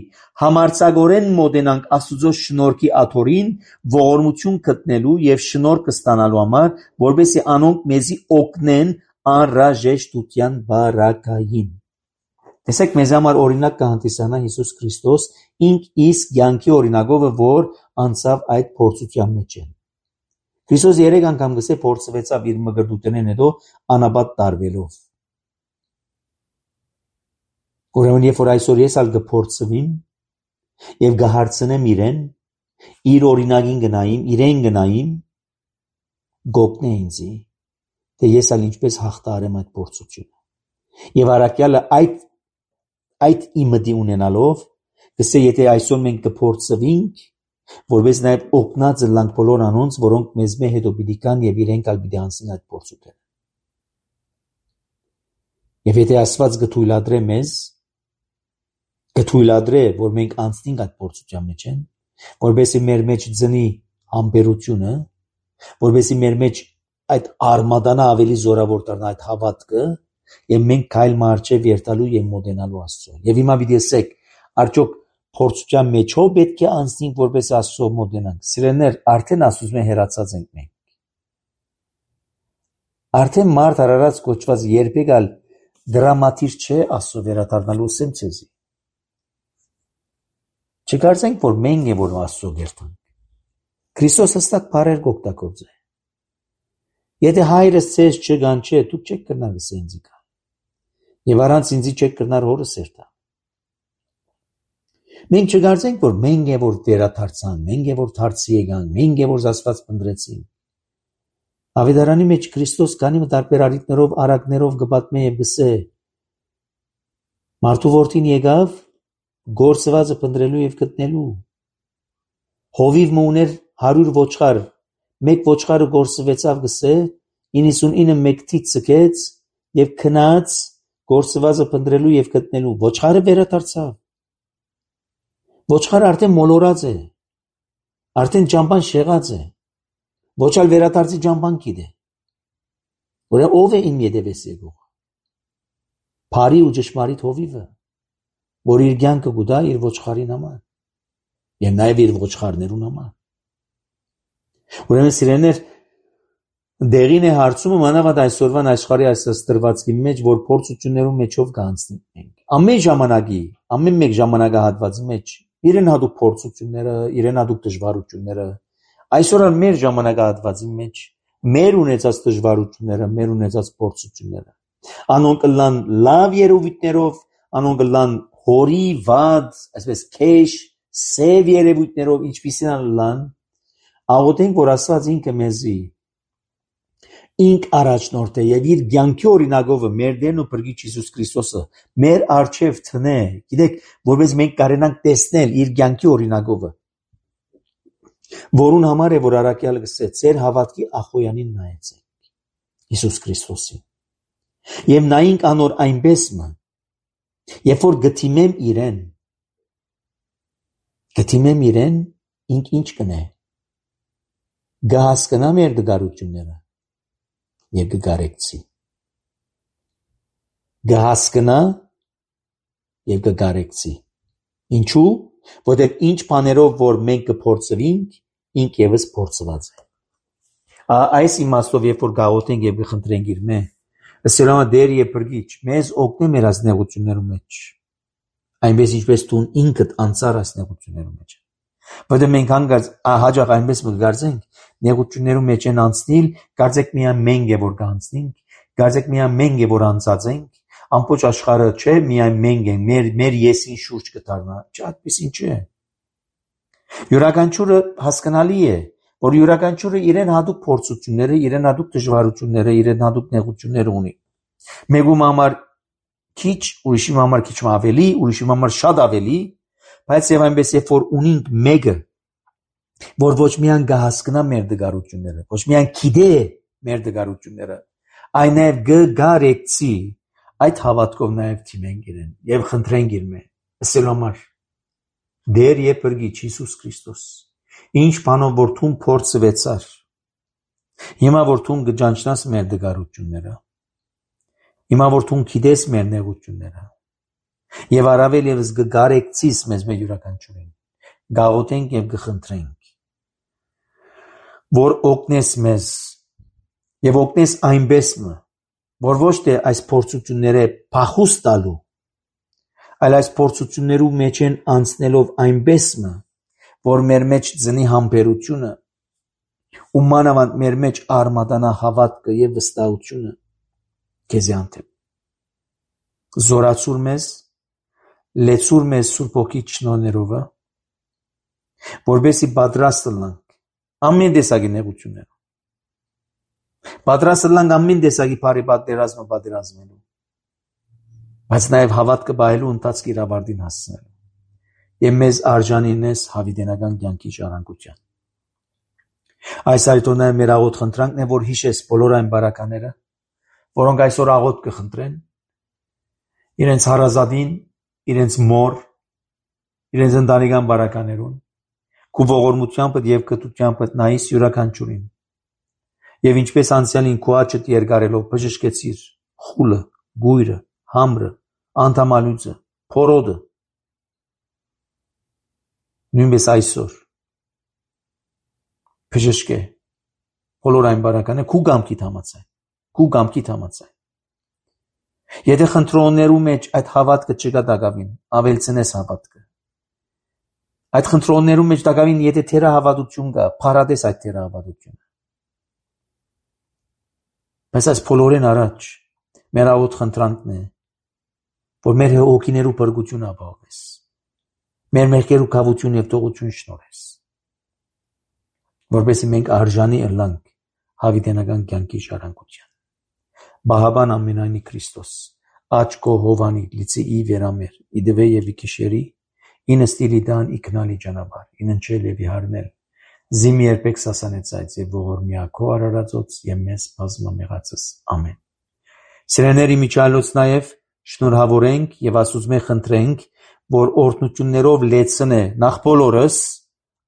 համարձակորեն մոտենանք Աստուծո շնորհքի աթոռին ողորմություն գտնելու եւ շնորհք ստանալու համար, որպեսզի անոնք մեզի օգնեն անհրաժեշտության բարակային։ Տեսեք, մեզ համար օրինակ կհանդիսանա Հիսուս Քրիստոս, ինք իսկ կյանքի օրինակով, որ անցավ այդ փորձության մեջ են։ Քրիստոս 3 անգամ գսե փորձվեցավ իր մկրտութենեն հետո անապատ տարվելով։ Ուրեմն երբ որ այսօր ես ալ կփորձվեմ եւ կհարցնեմ իրեն, իր օրինակին գնայիմ, իրեն գնայիմ, գոտնե ինձի, թե ես ալ ինչպես հաղթահարեմ այդ փորձությունը։ Եվ առաքյալը այդ իմդի ունենալով, գսե եթե այսօր մենք կփորձվենք, որպես նաև օգնած լանք բոլոր անոնց, որոնք մեզ հետո պիտի կան եւ իրենք ալ պիտի անցնեն այդ փորձությունը։ Եվ եթե Աստված կթույլատրե մեզ, կթույլատրե, որ մենք անցնենք այդ փորձության մեջ են, որպեսզի մեր մեջ ծնի համբերությունը, որպեսզի մեր մեջ այդ արմատանա ավելի զորավոր դառնա այդ հավատքը, եւ մենք քայլ մարչև երթալու եւ մոտենալու Աստծուն։ Եվ հիմա պիտի ասեք, արդյոք փորձության մեջով պետք է անցնենք, որպես Աստծո մոտենանք։ Սիրելիներ, արդեն Աստծո հեռացած ենք մենք։ Արդեն մարդ արարած կոչված երբեք ալ դրամատիկ չէ Աստծո վերադառնալու սեմ ցեզի։ Չկարծենք, որ մենք է որ Աստծո գերտանք։ Քրիստոս հստակ բառեր կօգտագործե։ Եթե հայրս ցեզ չգանչե, դուք չեք կրնար ինձի կա։ Եվ առանց ինձի չեք կրնար հորս երթա։ Մենք չկարծենք, որ մենք է որ վերադարձանք, մենք է որ դարձի եկանք, մենք է որ Աստված փնտրեցին։ Ավետարանի մեջ Քրիստոս կանի տարբեր առիթներով, արակներով կպատմե եւ գսե. Մարդու որդին եկավ գործվածը փնտրելու եւ գտնելու։ Հովիվ մուներ 100 ոչխար, մեկ ոչխարը գործվեցավ գսե, 99 մեկթից ցկեց եւ քնած գործվածը փնտրելու եւ գտնելու։ Ոչխարը վերադարձավ։ Ոչխարը արդեն մոլորած է, արդեն ճամփան շեղած է, ոչ ալ վերադարձի ճամփան գիտե։ Որը ով է իմ ետևես եկող։ Փարի ու ճշմարիտ հովիվը, որ իր կյանքը գուտա իր ոչխարին համար եւ նաեւ իր ոչխարներուն համար։ Ուրեմն սիրելիներ, դեղին է հարցումը մանավանդ այսօրվան աշխարհի այս ստրվածքի մեջ, որ փորձություններում մեջով կանցնենք մենք։ Ամեն ժամանակի, ամեն մեկ ժամանակահատվածի մեջ իրեն հատուկ փորձությունները, իրեն հատուկ դժվարությունները, այսօր մեր ժամանակահատվածի մեջ մեր ունեցած դժվարությունները, մեր ունեցած փորձությունները, անոնք լան լավ երևույթներով, անոնք լան հորի վատ, այսպես քեշ, սև երևույթներով, ինչպիսին լան, աղոթենք, որ Աստված ինքը մեզի ինք առաջնորդ է եւ իր կյանքի օրինակով մեր Տերն ու Փրկիչ Հիսուս Քրիստոսը մեր արչեւ տնե, գիտեք, որպես մենք կարենանք տեսնել իր կյանքի օրինակով, որուն համար է որ առաքյալը գսե, ձեր հավատքի ախոյանին նայեցեք Հիսուս Քրիստոսին եւ նայենք անոր այնպես մը, երբ որ գտիմեմ իրեն, ինք ինչ կնե, գահասկնա մեր դգարությունները եւ կգարեկցի։ Գահասկնա եւ կգարեկցի։ Ինչու՞, որտեղ ինչ բաներով որ մենք կփորձվենք, ինք եւս փորձված է։ Այս իմաստով երբ որ գաղութենք եւ կխնդրենք իր մե, ըստ դեր եւ բրգիչ, մեզ օգնի մեր ազնեղություններու մեջ։ Այնպես ինչպես դու ինքդ անցար այս նեղություններու մեջ։ Որտեղ մենք հանգած հաջող այնպես մգարձենք, նեղություններու մեջ են անցնել, կարծեք միայն մենք է որ կանցնենք, կարծեք միայն մենք է որ անցածենք, ամբողջ աշխարհը չէ, միայն մենք ենք, մեր եսին շուրջ կդառնա, չէ, այդպես չէ։ Յուրաքանչյուրը հասկանալի է, որ յուրաքանչյուրը իրեն հատուկ փորձությունները, իրեն հատուկ դժվարությունները, իրեն հատուկ նեղությունները ունի։ Մեկում համար քիչ, ուրիշի համար քիչ ավելի, ուրիշի համար շատ ավելի, բայց եւ այնպես երբ որ ունենք մեկը, որ ոչ միայն կհասկանա մեր դժվարությունները, ոչ միայն գիտե մեր դժվարությունները, այլ նաեւ կգարեկցի, այդ հավատքով նաեւ թիմենք իրեն եւ խնդրենք իր մե։ Ասել համար դեր եւ բրգիչ Հիսուս Քրիստոս, ինչ բանով որ դու փորձվեցար, հիմա որ դու կճանչնաս մեր դժվարությունները, հիմա որ դու գիտես մեր նեղությունները, եւ առավել եւս կգարեկցիս մեզ մեր յուրաքանչյուրին, գաղութենք եւ կխնդրենք, որ օգնես մեզ եւ օգնես այնպես մը, որ ոչ թե այս փորձությունները փախուստ տալու, այլ այս փորձություններու մեջ են անցնելով այնպես մը, որ մեր մեջ ծնի համբերությունը, ու մանավանդ մեր մեջ արմատանա հավատքը եւ վստահությունը քեզ անտեմ։ Զորացուր մեզ, լեցուր մեզ Սուրբ Հոգի շնորհներով, որովհետեւ պատրաստ լինենք ամեն տեսակի նեղություններ, պատրաստ լինենք ամեն տեսակի բարի պատերազմը պատերազմելու, բայց նաեւ հավատքը բայելու ընթացքի իրավարտին հասցնելու եւ մեզ արժանինես հավիտենական կյանքի ժառանգության։ Այս այդոնը մեր աղոտ խնդրանքն է, որ հիշես բոլոր այն բարակաները, որոնք այսօր աղոտ կխնդրեն, իրենց հարազատին, իրենց մոր, իրենց ընտանեկան բարականերուն, քու ողորմությամբ եւ կտությամբ նայիս յուրաքանչյուրին։ Եվ ինչպես անցյալին քու աչքդ երկարելով բժշկեցիր խուլը, գույրը, համրը, անդամալույցը, փորոդը, նույնպես այսօր բժշկե բոլոր այն բարականը քու գամքիդ համաձայն։ Եթե խնդրոններու մեջ այդ հավատքը չկա դակավին, ավելցնես հավատքը։ Այդ խնդրոններու մեջ դակավին եթե թերահավատություն կա, փարատես այդ թերահավատությունը։ Բայց այս բոլորին առաջ մեր աղոտ խնդրանքն է, որ մեր հոգիներու բրգություն ապահովես, մեր մեղքերու կավություն եւ տողություն շնորհես, որովհետեւ մենք արժանի ըլլանք հավիտենական կյանքի ժառանգության։ Բահաբան ամենայնի Քրիստոս, աչքո հովանի լիցի վերամեր, իդվե եւ իքիշերի, ինստիլի դան իքնալի ճանապարհ, ինընչել եւ իհարնել, զիմ երբեք սասանեցայց եւ ողորմիակո արարածոց եւ մեզ բազմամեղածս ամեն։ Սիրեների միջալոց նաեւ շնորհավորենք եւ Աստուծմե խնդրենք, որ օրհնություններով լեցնե նախ բոլորս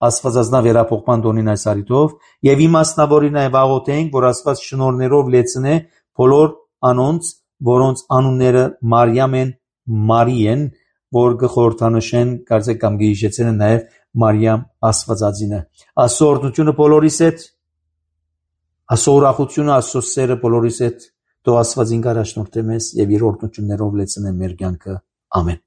Աստվածածնա վերապոխման դոնին այս արիտով եւ իմաստնավորի նաեւ աղոթենք, որ Աստված շնորհներով լեցնե բոլոր անոնց, որոնց անունները Մարիամ են, Մարի են, որ գխորթանշեն, կարծեք կամ գիժեցեն նաեւ Մարիամ Աստվածածինը։ Աստծո օրհնությունը բոլորիս հետ, Աստծո ուրախությունը, Աստծո սերը բոլորիս հետ, թող Աստված ինքն առաջնորդե մեզ եւ իր օրհնություններով լեցնե մեր կյանքը։ Ամեն։